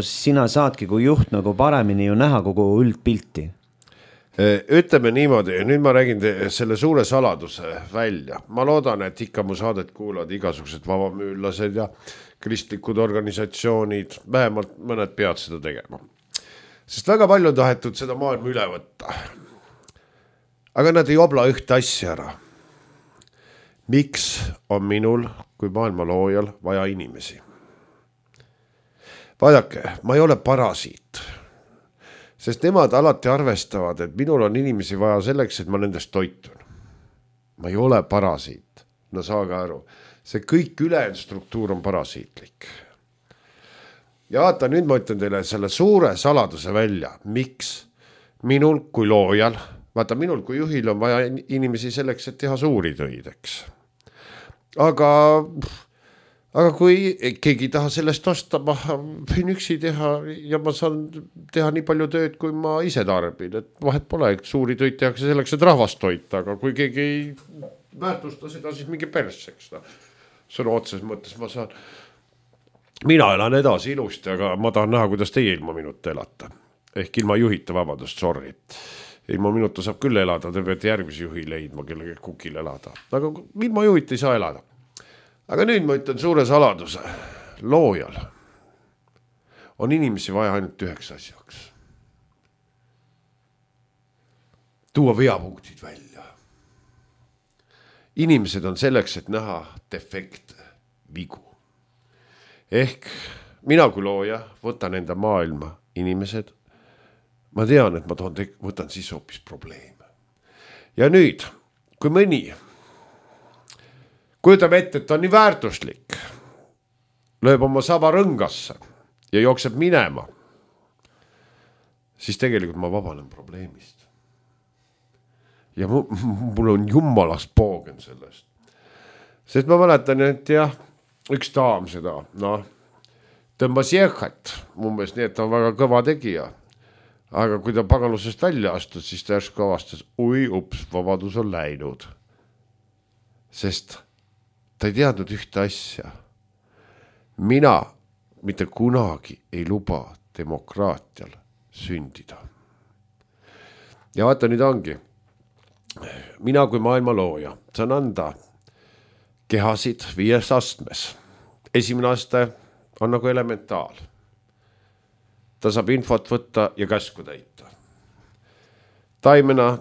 sina saadki kui juht nagu paremini ju näha kogu üldpilti.
Ütleme niimoodi, nüüd ma räägin selle suure saladuse välja. Ma loodan, et ikka mu saadet kuulavad igasugused vabamüürlased ja kristlikud organisatsioonid, vähemalt mõned peavad seda tegema. Sest väga palju on tahetud seda maailma üle võtta. Aga nad ei obla ühte asja ära. Miks on minul kui maailma loojal vaja inimesi? Vaadake, ma ei ole parasiit. Sest nemad alati arvestavad, et minul on inimesi vaja selleks, et ma nendest toitun. Ma ei ole parasiit. No saage aru. See kõik ülejäänud struktuur on parasiitlik. Ja vaata, nüüd ma ütlen teile selle suure saladuse välja. Miks? Minul kui loojal, vaata minul kui juhil on vaja inimesi selleks, et teha suuri töid, eks. Aga kui keegi ei taha sellest osta, ma võin üksi teha ja ma saan teha nii palju tööd, kui ma ise tarbin. Et vahet pole, et suuri töid tehakse selleks, et rahvast toita, aga kui keegi ei väärtusta seda, siis mingi perseks. Sõna otses mõttes ma saan. Mina elan edasi ilusti, aga ma tahan näha, kuidas teie ilma minuta elata. Ehk ilma juhita, vabandust, sorry. Ilma minuta saab küll elada, te peate järgmise juhi leidma, kellega kukil elada. Aga ilma juhita ei saa elada. Aga nüüd ma ütlen suure saladuse. Loojal on inimesi vaja ainult 9 asjaks. Tuua veapunktid välja. Inimesed on selleks, et näha defekte, vigu. Ehk mina kui looja võtan enda maailma inimesed. Ma tean, et ma võtan siis hoopis probleeme. Ja nüüd, kui mõni kujutame ette, et ta on nii väärtuslik, lööb oma saba rõngasse ja jookseb minema, siis tegelikult ma vabanen probleemist. Ja mul on jummalast poogen sellest. Sest ma mäletan, et jah, üks daam seda, tõmbas jehhat, umbes nii, et ta on väga kõva tegija. Aga kui ta pagalusest välja astud, siis ta järsku avastas, vabadus on läinud. Sest ta ei teadnud ühte asja. Mina mitte kunagi ei luba demokraatial sündida. Ja vaata nüüd ongi. Mina kui maailma looja saan anda kehasid 5 astmes. Esimene aste on nagu elementaal. Ta saab infot võtta ja käsku täita. Taimena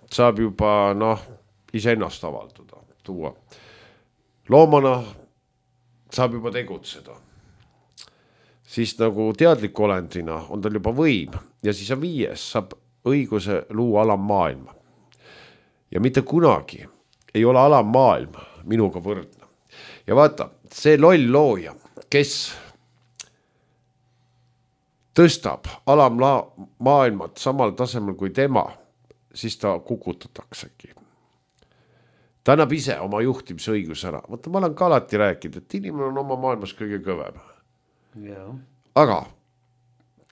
saab juba iseennast avalduda, tuua. Loomana saab juba tegutseda. Siis nagu teadliku olendina on tal juba võim ja siis on 5, saab õiguse luua alammaailma. Ja mitte kunagi ei ole alammaailm minuga võrdne. Ja vaata, see loll looja, kes tõstab alammaailmat samal tasemel kui tema, siis ta kukutataksegi. Ta annab ise oma juhtimisõigus ära. Vaata, ma olen ka alati rääkinud, et inimene on oma maailmas kõige kõvem. Aga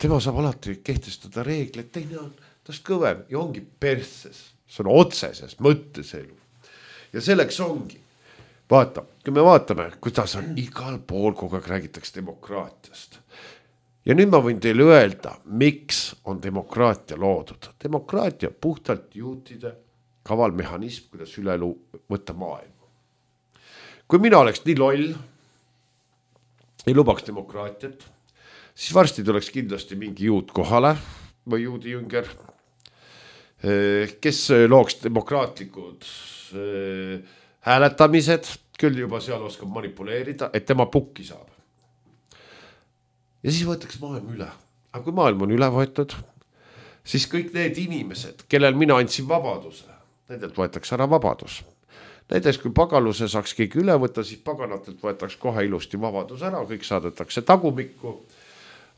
tema saab alati kehtestada reegleid, teine on tast kõvem ja ongi perses. See on otseses mõttes elu. Ja selleks ongi. Vaata, kui me vaatame, kuidas on igal pool kogu aeg räägitakse demokraatiast. Ja nüüd ma võin teile öelda, miks on demokraatia loodud. Demokraatia puhtalt juutide kaval mehhanism, kuidas üle võtta maailma. Kui mina oleks nii loll, ei lubaks demokraatiat, siis varsti tuleks kindlasti mingi juut kohale või juudi jünger, kes looks demokraatlikud hääletamised, küll juba seal oskab manipuleerida, et tema pukki saab. Ja siis võetakse maailm üle. Aga kui maailm on üle võetud, siis kõik need inimesed, kellel mina andsin vabaduse, nendelt võetakse ära vabadus. Näiteks kui pagaluse saaks keegi üle võtta, siis paganatelt võetakse kohe ilusti vabadus ära, kõik saadetakse tagumikku.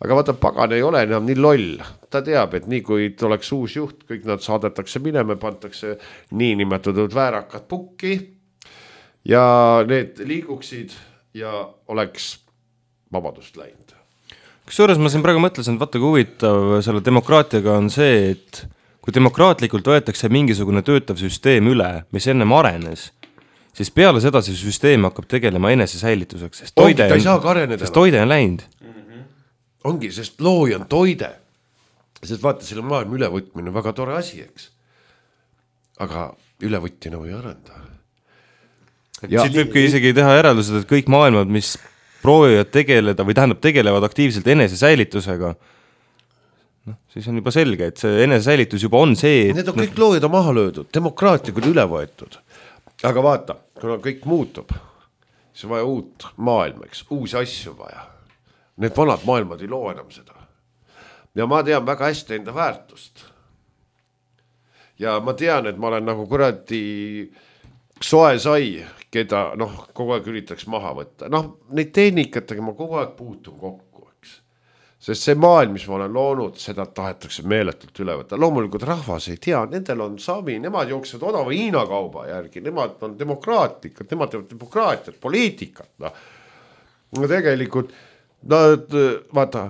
Aga vaata, pagan ei ole enam nii loll. Ta teab, et nii kui oleks uus juht, kõik nad saadetakse minema, pantakse nii nimetatud väärakad pukki ja need liiguksid ja oleks vabadust läinud.
Kusjuures ma siin praegu mõtlesin, et vaata kui huvitav selle demokraatiaga on see, et kui demokraatlikult võetakse mingisugune töötav süsteem üle, mis ennem arenes, siis peale seda see süsteem hakkab tegelema enese säilituseks, sest toide on läinud.
Ongi, sest looja on toide. Sest vaata, selle maailma ülevõtmine on väga tore asi, eks. Aga ülevõtjana või arenda.
Siit võibki isegi teha järeldused, et kõik maailmad, mis proovivad tegeleda või tähendab tegelevad aktiivselt enese säilitusega, siis on juba selge, et see enese säilitus juba on see, et
need on kõik loojad on maha löödud, demokraatia küll üle võetud. Aga vaata, kuna kõik muutub, siis on vaja uut maailma, eks, uusi asju vaja. Need vanad maailmad ei loo enam seda. ja ma tean väga hästi enda väärtust. Ja ma tean, et ma olen nagu kuradi soe sai, keda kogu aeg üritaks maha võtta. Neid tehnikatega ma kogu aeg puutun kokku, eks. Sest see maailm, mis ma olen loonud, seda tahetakse meeletult üle võtta. Loomulikult rahvas ei tea, nendel on savi, nemad jooksevad odava Hiina kauba järgi, nemad on demokraatlikud, nemad teevad demokraatiat, poliitikat. No tegelikult, vaata,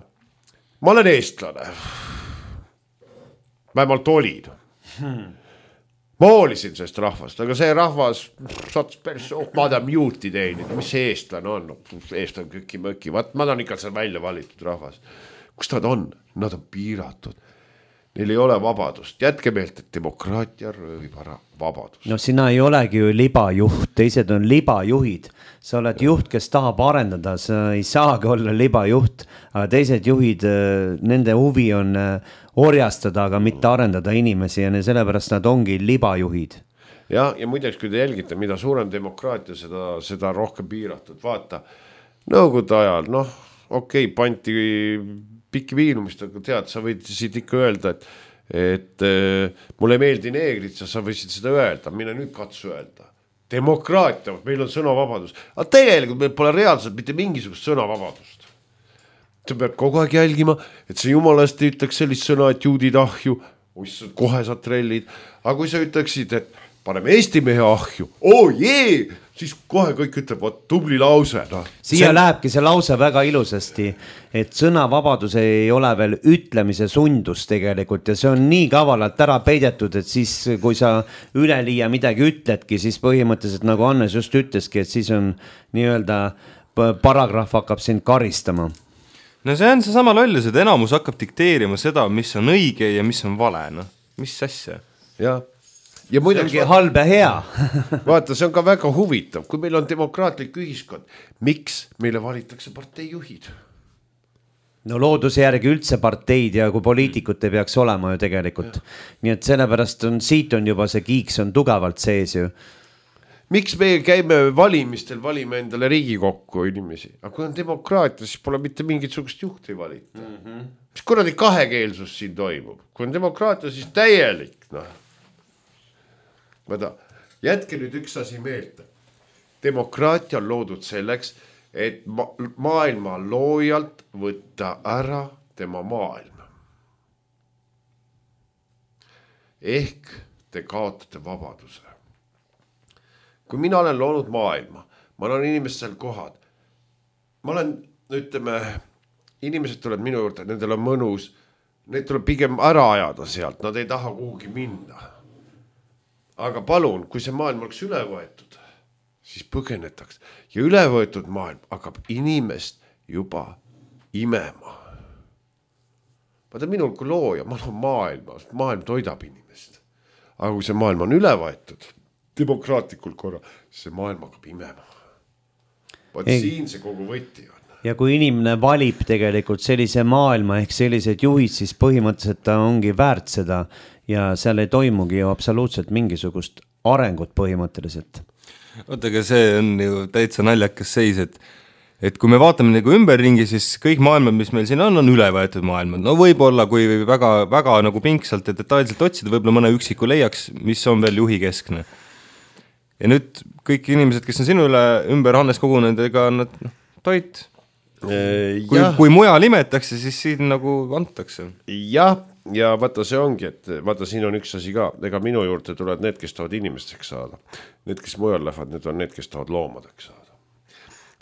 ma olen eestlane. Vähemalt olin. Ma hoolisin sellest rahvast, aga see rahvas sattus päris, madam juuti teenid, mis see eestlane on? Eestlane köki-möki, ma olen ikka seal välja valitud rahvas. Kus nad on? Nad on piiratud. Neil ei ole vabadust. Jätke meelt, et demokraatia röövib ära vabadust.
No sina ei olegi ju libajuht, teised on libajuhid. Sa oled juht, kes tahab arendada, sa ei saagi olla libajuht, aga teised juhid, nende huvi on orjastada, aga mitte arendada inimesi ja sellepärast nad ongi libajuhid.
Ja muideks, kui te jälgite, mida suurem demokraatia, seda rohkem piiratud. Vaata, nõukogude ajal, okei, panti pikki viilumist, aga tead, sa võisid ikka öelda, et mulle meeldi neegrid, sa võisid seda öelda, mine nüüd katsu öelda. Demokraatia, meil on sõnavabadus, aga tegelikult meil pole reaalselt mitte mingisugust sõnavabadust. Sa pead kogu aeg jälgima, et sa jumalast ei ütleks sellist sõna, et juudid ahju, kohe sa trellid, aga kui sa ütleksid, et paneme Eesti mehe ahju, siis kohe kõik ütleb, tubli lause.
Siia lähebki see lause väga ilusasti, et sõnavabadus ei ole veel ütlemise sundus tegelikult ja see on nii kavalalt ära peidetud, et siis kui sa üleliia midagi ütledki, siis põhimõtteliselt nagu Hannes just ütleski, et siis on nii-öelda paragrahv hakkab sind karistama.
No see on seesama lollus, et enamus hakkab dikteerima seda, mis on õige ja mis on vale. Mis asja?
Ja
see ongi halb ja hea.
Vaata, see on ka väga huvitav, kui meil on demokraatlik ühiskond, miks meile valitakse parteijuhid?
No looduse järgi üldse parteid ja kui poliitikut ei peaks olema ju tegelikult. Nii et sellepärast siit on juba see kiiks on tugevalt sees ju.
Miks me käime valimistel, valime endale Riigikokku inimesi, aga kui on demokraatia, siis pole mitte mingisugust juhti valita. Mis kuradi kahekeelsus siin toimub? Kui on demokraatia, siis täielik. Jätke nüüd üks asi meelde. Demokraatia on loodud selleks, et maailma loojalt võtta ära tema maailma. Ehk te kaotate vabaduse. Kui mina olen loonud maailma, ma olen inimestel kohad, ma olen, ütleme, inimesed tuleb minu juurde, nendel on mõnus, need tuleb pigem ära ajada sealt, nad ei taha kuhugi minna. Aga palun, kui see maailm oleks üle võetud, siis põgenetaks ja üle võetud maailm hakkab inimest juba imema. Vaata minul kui looja, ma olen maailm toidab inimest. Aga kui see maailm on üle võetud, demokraatlikul korral, see maailm hakkab imema. Siin see kogu võti on.
Ja kui inimene valib tegelikult sellise maailma ehk sellised juhid, siis põhimõtteliselt ta ongi väärt seda ja seal ei toimugi ju absoluutselt mingisugust arengut põhimõtteliselt.
Ootega see on ju täitsa naljakas seis, et kui me vaatame nagu ümberringi, siis kõik maailmad, mis meil siin on üle võetud maailmad. No võib-olla, kui väga, väga nagu pingsalt ja detailselt otsida, võib-olla mõne üksiku leiaks, mis on veel juhi keskne. Ja nüüd kõik inimesed, kes on sinu üle ümber Hannes kogunenud, ega nad toit. Kui mujal imetakse, siis siin nagu antakse.
Ja vaata see ongi, et vaata siin on üks asi ka, ega minu juurde tulevad need, kes tahavad inimesteks saada. Need, kes mujal lähevad, need on need, kes tahavad loomadeks saada.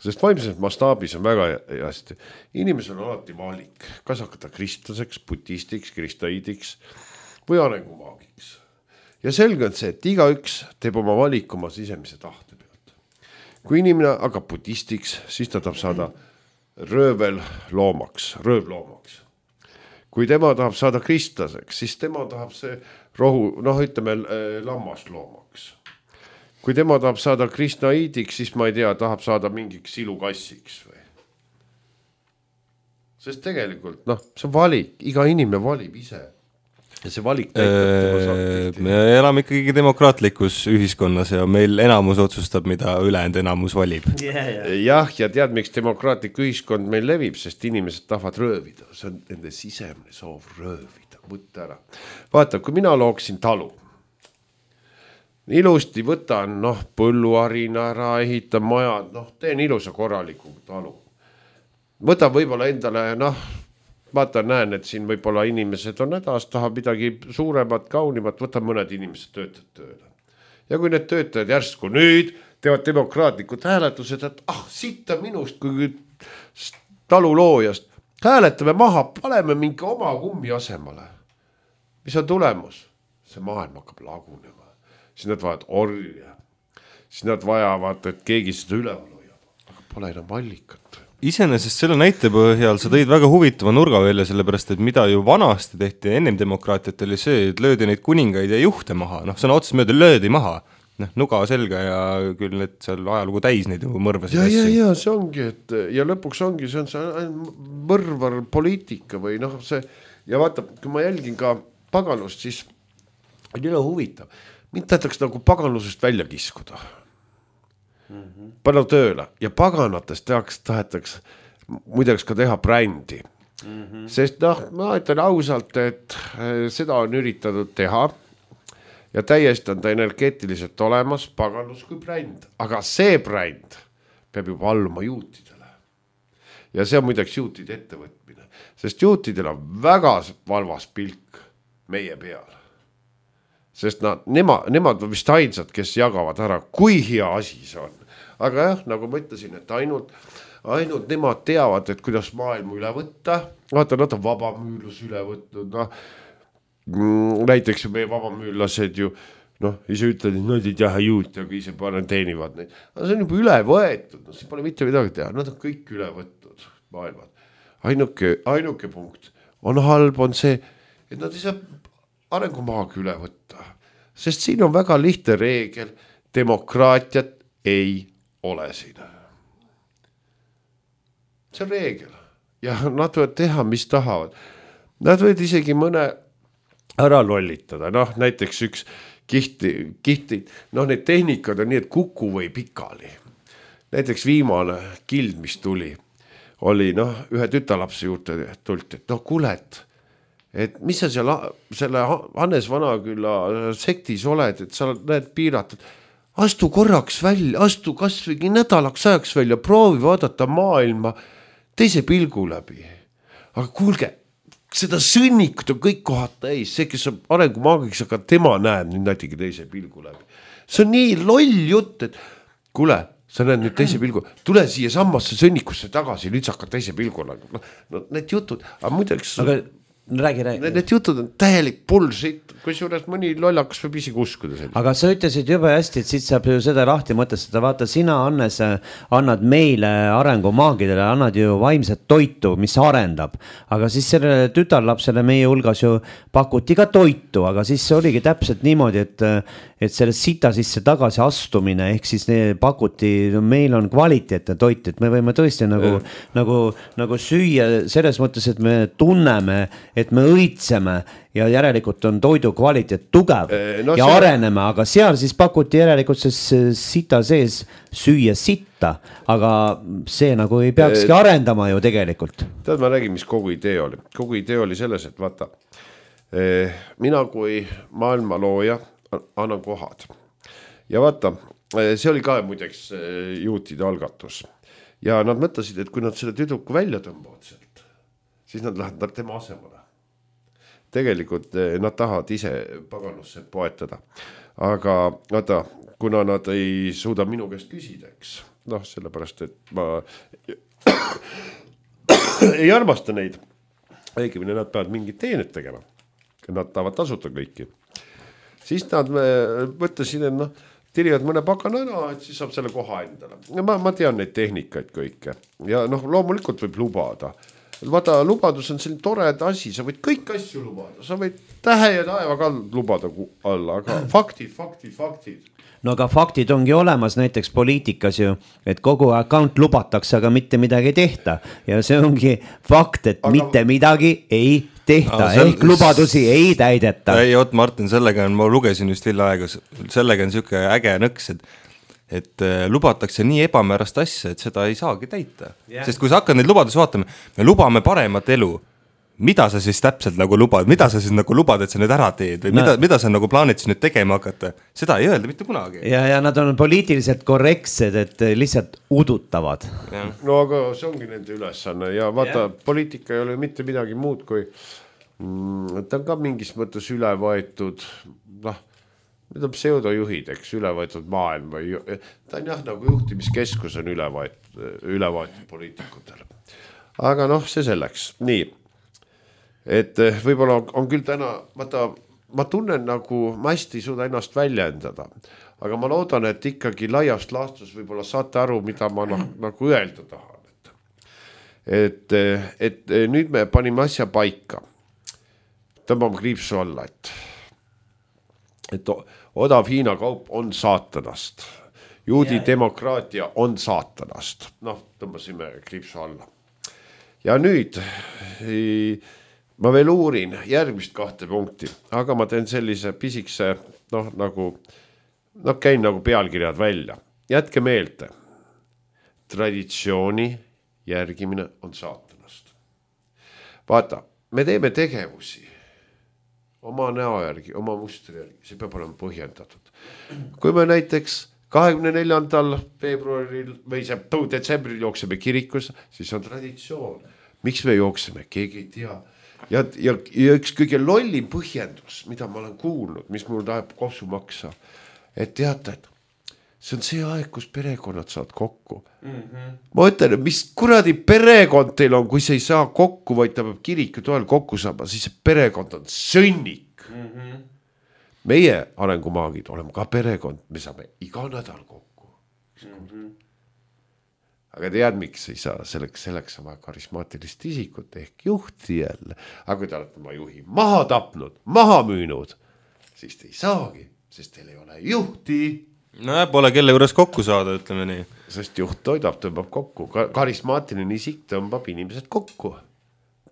Sest vaimses mastaabis on väga hästi. Inimesel on alati valik, kas hakata kristlaseks, budistiks, kristaidiks või arengumaagiks. Ja selge on see, et igaüks teeb oma valik oma sisemise tahte pealt. Kui inimene hakkab budistiks, siis ta tahab saada röövloomaks. Kui tema tahab saada kristlaseks, siis tema tahab see ütleme lammasloomaks. Kui tema tahab saada kristnaidiks, siis ma ei tea, tahab saada mingiks silukassiks või. Sest tegelikult, see on valik, iga inimene valib ise. ja see valik näitab
me elame ikkagi demokraatlikus ühiskonnas ja meil enamus otsustab, mida ülejäänud enamus valib.
Jah, ja tead, miks demokraatlik ühiskond meil levib, sest inimesed tahavad röövida, see on nende sisemine soov röövida, võtta ära. Vaata, kui mina looksin talu, ilusti võtan põlluharina ära, ehitan majad, teen ilusa korraliku talu. Võtan võib-olla endale, vaata, näen, et siin võib-olla inimesed on hädas, tahab midagi suuremat, kaunimat, võtan mõned inimesed töötavad tööle. Ja kui need töötajad järsku nüüd teevad demokraatlikud hääletused, et sitta minust kui taluloojast, hääletame maha, paneme mingi oma kummi asemale. Mis on tulemus? See maailm hakkab lagunema. Siis nad vajavad orja. Siis nad vajavad, et keegi seda üleval hoiab. Aga pole enam allikat.
Iseenesest selle näite põhjal sa tõid väga huvitava nurga välja, sellepärast, et mida ju vanasti tehti ennem demokraatiat oli see, et löödi neid kuningaid ja juhte maha. Sõna otseses mööda löödi maha. Nuga selga ja küll need seal ajalugu täis neid mõrvasid
asju. Ja see ongi, et ja lõpuks ongi, see on see mõrvar poliitika või see. Ja vaata, kui ma jälgin ka paganust, siis on üle huvitav. Mind tahetakse nagu paganlusest välja kiskuda. Panna tööle ja paganatest tahetakse muideks ka teha brändi. Sest ma ütlen ausalt, et seda on üritatud teha ja täiesti on ta energeetiliselt olemas, paganus kui bränd. Aga see bränd peab juba alluma juutidele. Ja see on muideks juutide ettevõtmine, sest juutidel on väga valvas pilk meie peal. Sest nemad on vist ainsad, kes jagavad ära, kui hea asi see on. Aga jah, nagu ma ütlesin, et ainult nemad teavad, et kuidas maailmu üle võtta. Vaata, nad on vabamüülus üle võtnud. Näiteks meie vabamüülased ju, ise ütled, et nad ei taha juut, aga ise teenivad neid. Aga see on juba üle võetud, see pole mitte midagi teha. Nad on kõik üle võtnud maailmad. Ainuke punkt on halb, on see, et nad ei saa arengumaagi üle võtta. Sest siin on väga lihtne reegel, demokraatiat ei ole siin. See on reegel. Ja nad võivad teha, mis tahavad. Nad võivad isegi mõne ära lollitada. Näiteks üks kihti, need tehnikad on nii, et kuku või pikali. Näiteks viimane kild, mis tuli, oli ühe tütarlapse juurde tulti, et kuulet, et mis sa seal selle Hannes Vanaküla sektis oled, et sa näed piiratud. Astu korraks välja, astu kasvõi nädalaks ajaks välja, proovi vaadata maailma teise pilgu läbi. Aga kuulge, seda sõnnikut on kõik kohad täis, see, kes on arengumaagiks, aga tema näeb nüüd näitegi teise pilgu läbi. See on nii loll jutt, et kuule, sa näed nüüd teise pilgu, tule siia sammasse sõnnikusse tagasi, nüüd sa hakkad teise pilgu läbi. Need jutud, aga muideks...
Räägi.
Need jutud on täielik bullshit, kui juures mõni lollakas võib isegi uskuda sellist.
Aga sa ütlesid jube hästi, et siit saab ju seda lahti mõtestada. Vaata, sina, Hannes, annad meile arengumaagidele, annad ju vaimset toitu, mis arendab. Aga siis sellele tütarlapsele meie hulgas ju pakuti ka toitu, aga siis oligi täpselt niimoodi, et selle sita sisse tagasi astumine, ehk siis pakuti, meil on kvaliteetne toit, et me võime tõesti nagu süüa selles mõttes, et me tunneme, et me õitseme ja järelikult on toidu kvaliteet tugev ja areneme, aga seal siis pakuti järelikult sita sees süüa sitta, aga see nagu ei peakski arendama ju tegelikult.
Tead, ma räägin, mis kogu idee oli. Kogu idee oli selles, et vaata, mina kui maailma looja annan kohad. Ja vaata, see oli ka muideks juutide algatus. Ja nad mõtlesid, et kui nad selle tüdruku välja tõmbavad sealt, siis nad lähevad tema asemale. Tegelikult nad tahavad ise paganusse poetada. Aga vaata, kuna nad ei suuda minu käest küsida, eks. Sellepärast, et ma ei armasta neid. Õigemini nad peavad mingit teenet tegema. Nad tahavad tasuta kõiki. Siis nad mõtlesid, et tirivad mõne pakana ära, et siis saab selle koha endale. Ma tean neid tehnikaid kõike. Ja loomulikult võib lubada. Vaata, lubadus on selline tored asi, sa võid kõik asju lubada, sa võid tähe ja taeva ka lubada alla, aga faktid.
No aga faktid ongi olemas näiteks poliitikas ju, et kogu account lubatakse, aga mitte midagi ei tehta ja see ongi fakt, et mitte midagi ei tehta ehk lubadusi ei täideta.
Ei, oot Martin, sellega on, ma lugesin just hiljaaega, sellega on siuke äge nõks, et lubatakse nii ebamäärast asja, et seda ei saagi täita. Sest kui sa hakkad neid lubadusi vaatama, me lubame paremat elu. Mida sa siis täpselt nagu lubad, mida sa siis nagu lubad, et sa nüüd ära teed või mida sa nagu plaanid siis nüüd tegema hakata, seda ei öelda mitte kunagi.
Ja nad on poliitiliselt korrektsed, et lihtsalt udutavad.
No aga see ongi nende ülesanne ja vaata, poliitika ei ole mitte midagi muud kui ta on ka mingis mõttes üle võetud, need on pseudojuhid, eks, üle võetud maailm või ta on jah, nagu juhtimiskeskus on üle võetud poliitikutel. Aga see selleks, nii. Et võibolla on küll täna, ma tunnen nagu, ma hästi ei suuda ennast väljendada, aga ma loodan, et ikkagi laiast laastus võibolla saate aru, mida ma nagu öelda tahan. Et nüüd me panime asja paika, tõmbame kriipsu alla, et odav Hiina kaup on saatanast, juudi demokraatia on saatanast, tõmbasime kriipsu alla. Ja nüüd ma veel uurin järgmist 2 punkti, aga ma teen sellise pisikse, käin nagu pealkirjad välja. Jätke meelde, traditsiooni järgimine on saatanast. Vaata, me teeme tegevusi oma näo järgi, oma mustri järgi, see peab olema põhjendatud. Kui me näiteks 24. veebruaril või detsembril jookseme kirikus, siis on traditsioon. Miks me jookseme, keegi ei tea. Ja üks kõige lollim põhjendus, mida ma olen kuulnud, mis mul tahab kopsu maksa, et teate, et see on see aeg, kus perekonnad saad kokku. Ma ütlen, mis kuradi perekond teil on, kui see ei saa kokku, vaid ta peab kiriku toel kokku saama, siis see perekond on sõnnik. Meie arengumaagid oleme ka perekond, me saame iga nädal kokku. Aga tead, miks ei saa, selleks on vaja karismaatilist isikut ehk juhti jälle. Aga kui te olete oma juhi maha tapnud, maha müünud, siis te ei saagi, sest teil ei ole juhti.
Pole kelle juures kokku saada, ütleme nii.
Sest juht toidab, tõmbab kokku. Karismaatiline isik tõmbab inimesed kokku.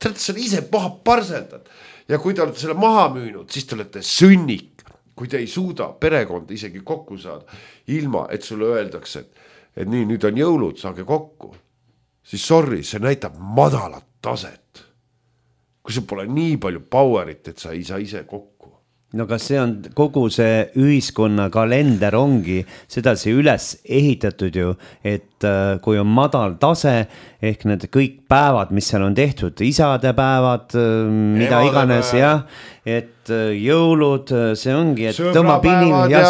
Te olete selle ise maha parseldad. Ja kui te olete selle maha müünud, siis te olete sünnik. Kui te ei suuda perekonda isegi kokku saada, ilma et sulle öeldakse, et nii, nüüd on jõulud, saage kokku. Siis sorry, see näitab madalat taset. Kui sul pole nii palju powerit, et sa ei saa ise kokku.
No kas see on kogu see ühiskonna kalender ongi sedasi üles ehitatud ju, et kui on madal tase ehk need kõik päevad, mis seal on tehtud, isadepäevad, mida iganes, jah, et jõulud, see ongi, et tõmbab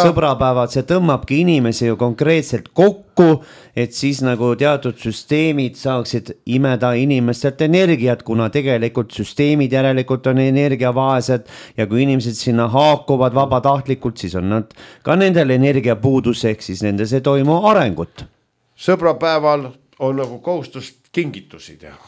sõbrapäevad, see tõmbabki inimesi ju konkreetselt kokku, et siis nagu teatud süsteemid saaksid imeda inimestelt energiat, kuna tegelikult süsteemid järelikult on energiavaesed ja kui inimesed sinna haakuvad vabatahtlikult, siis on nad ka nendel energiapuudus, ehk siis nendes ei toimu arengut.
Sõbrapäeval on nagu kohustust kingitusi teha.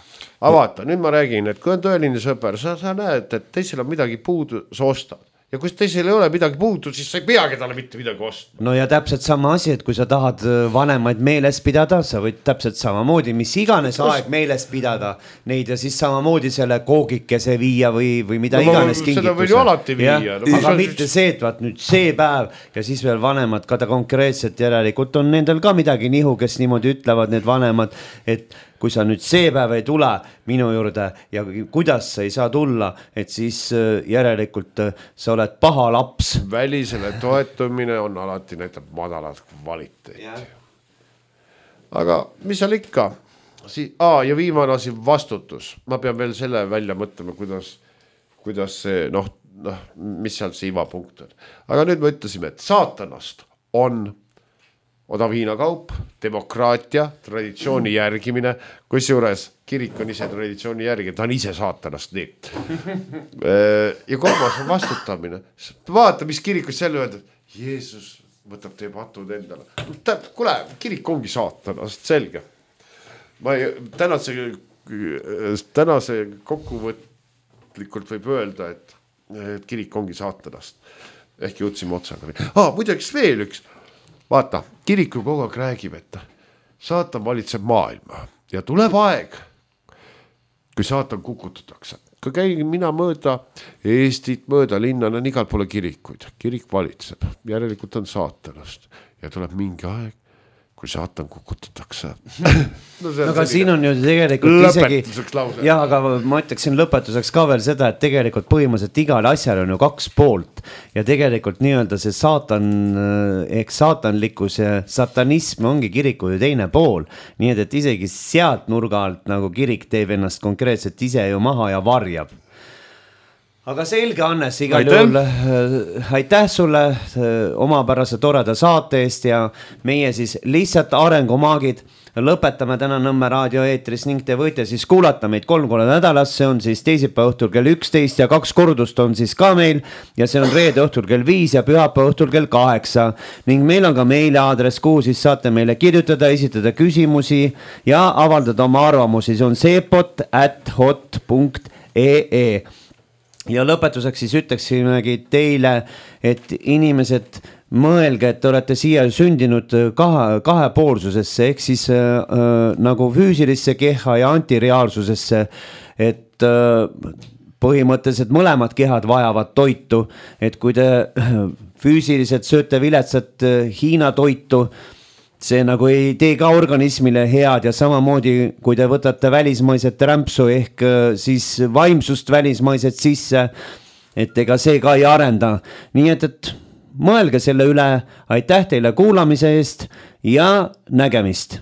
Aga vaata, nüüd ma räägin, et kui on tõeline sõber, sa näed, et teisel on midagi puudu, sa ostad. Ja kui teisel ei ole midagi puudu, siis sa ei peagi talle mitte midagi ostma.
No ja täpselt sama asi, et kui sa tahad vanemaid meeles pidada, sa võid täpselt samamoodi, mis iganes aeg meeles pidada neid ja siis samamoodi selle koogikese viia või mida iganes kingituse.
Seda võin ju alati viia.
Aga mitte see, et vaat nüüd see päev ja siis veel vanemad ka ta konkreetselt järelikult on nendel ka midagi nihu, kes niimoodi ütlevad need vanemad, et kui sa nüüd see päev ei tule minu juurde ja kuidas sa ei saa tulla, et siis järelikult sa oled paha laps.
Välisele toetumine on alati näitab madalat kvaliteeti. Aga mis seal ikka? Ja viimane asi vastutus. Ma pean veel selle välja mõtlema, kuidas see, mis seal see ivapunkt on. Aga nüüd me ütlesime, et saatanast on odav Hiina kaup, demokraatia, traditsiooni järgimine, kusjuures kirik on ise traditsiooni järgi, ta on ise saatanast nii. Ja kolmas on vastutamine. Vaata, mis kirikus selle öelda, Jeesus võtab teie patud endale. Kule, kirik ongi saatanast, selge. Tänase kokkuvõtlikult võib öelda, et kirik ongi saatanast. Ehk jõudsime otsaga. Muideks veel üks. Vaata, kiriku kogu aeg räägib, et saatan valitseb maailma ja tuleb aeg, kui saatan kukutatakse. ka käin mina mööda Eestit, mööda linna, on igal poole kirikuid, kirik valitseb, järelikult on saatanast ja tuleb mingi aeg, kui saatan kukutatakse.
No aga siin on ju tegelikult isegi, jah, aga ma ütleksin lõpetuseks ka veel seda, et tegelikult põhimõtteliselt igal asjal on ju 2 poolt ja tegelikult nii-öelda see saatan, saatanlikkus ja satanism ongi kiriku ju teine pool, nii et isegi sealt nurga alt nagu kirik teeb ennast konkreetselt ise ju maha ja varjab. Aga selge, Hannes, igal juhul aitäh sulle omapärase toreda saate eest ja meie siis lihtsalt arengumaagid lõpetame täna Nõmme raadio eetris ning te võite siis kuulata meid 3 korda nädalas, see on siis teisipäeva õhtul kell 11 ja 2 kordust on siis ka meil ja see on reede õhtul kell 5 ja pühapäeva õhtul kell 8 ning meil on ka meiliaadress, kuhu siis saate meile kirjutada, esitada küsimusi ja avaldada oma arvamusi, see on sepot@hot.ee. Ja lõpetuseks siis ütleksimegi teile, et inimesed mõelge, et te olete siia sündinud kahepoolsusesse, ehk siis nagu füüsilisse keha ja antireaalsusesse, et põhimõtteliselt mõlemad kehad vajavad toitu, et kui te füüsiliselt sööte viletsat Hiina toitu, see nagu ei tee ka organismile head ja samamoodi, kui te võtate välismaiset rämpsu ehk siis vaimsust välismaiset sisse, et ega see ka ei arenda. Nii et mõelge selle üle, aitäh teile kuulamise eest ja nägemist!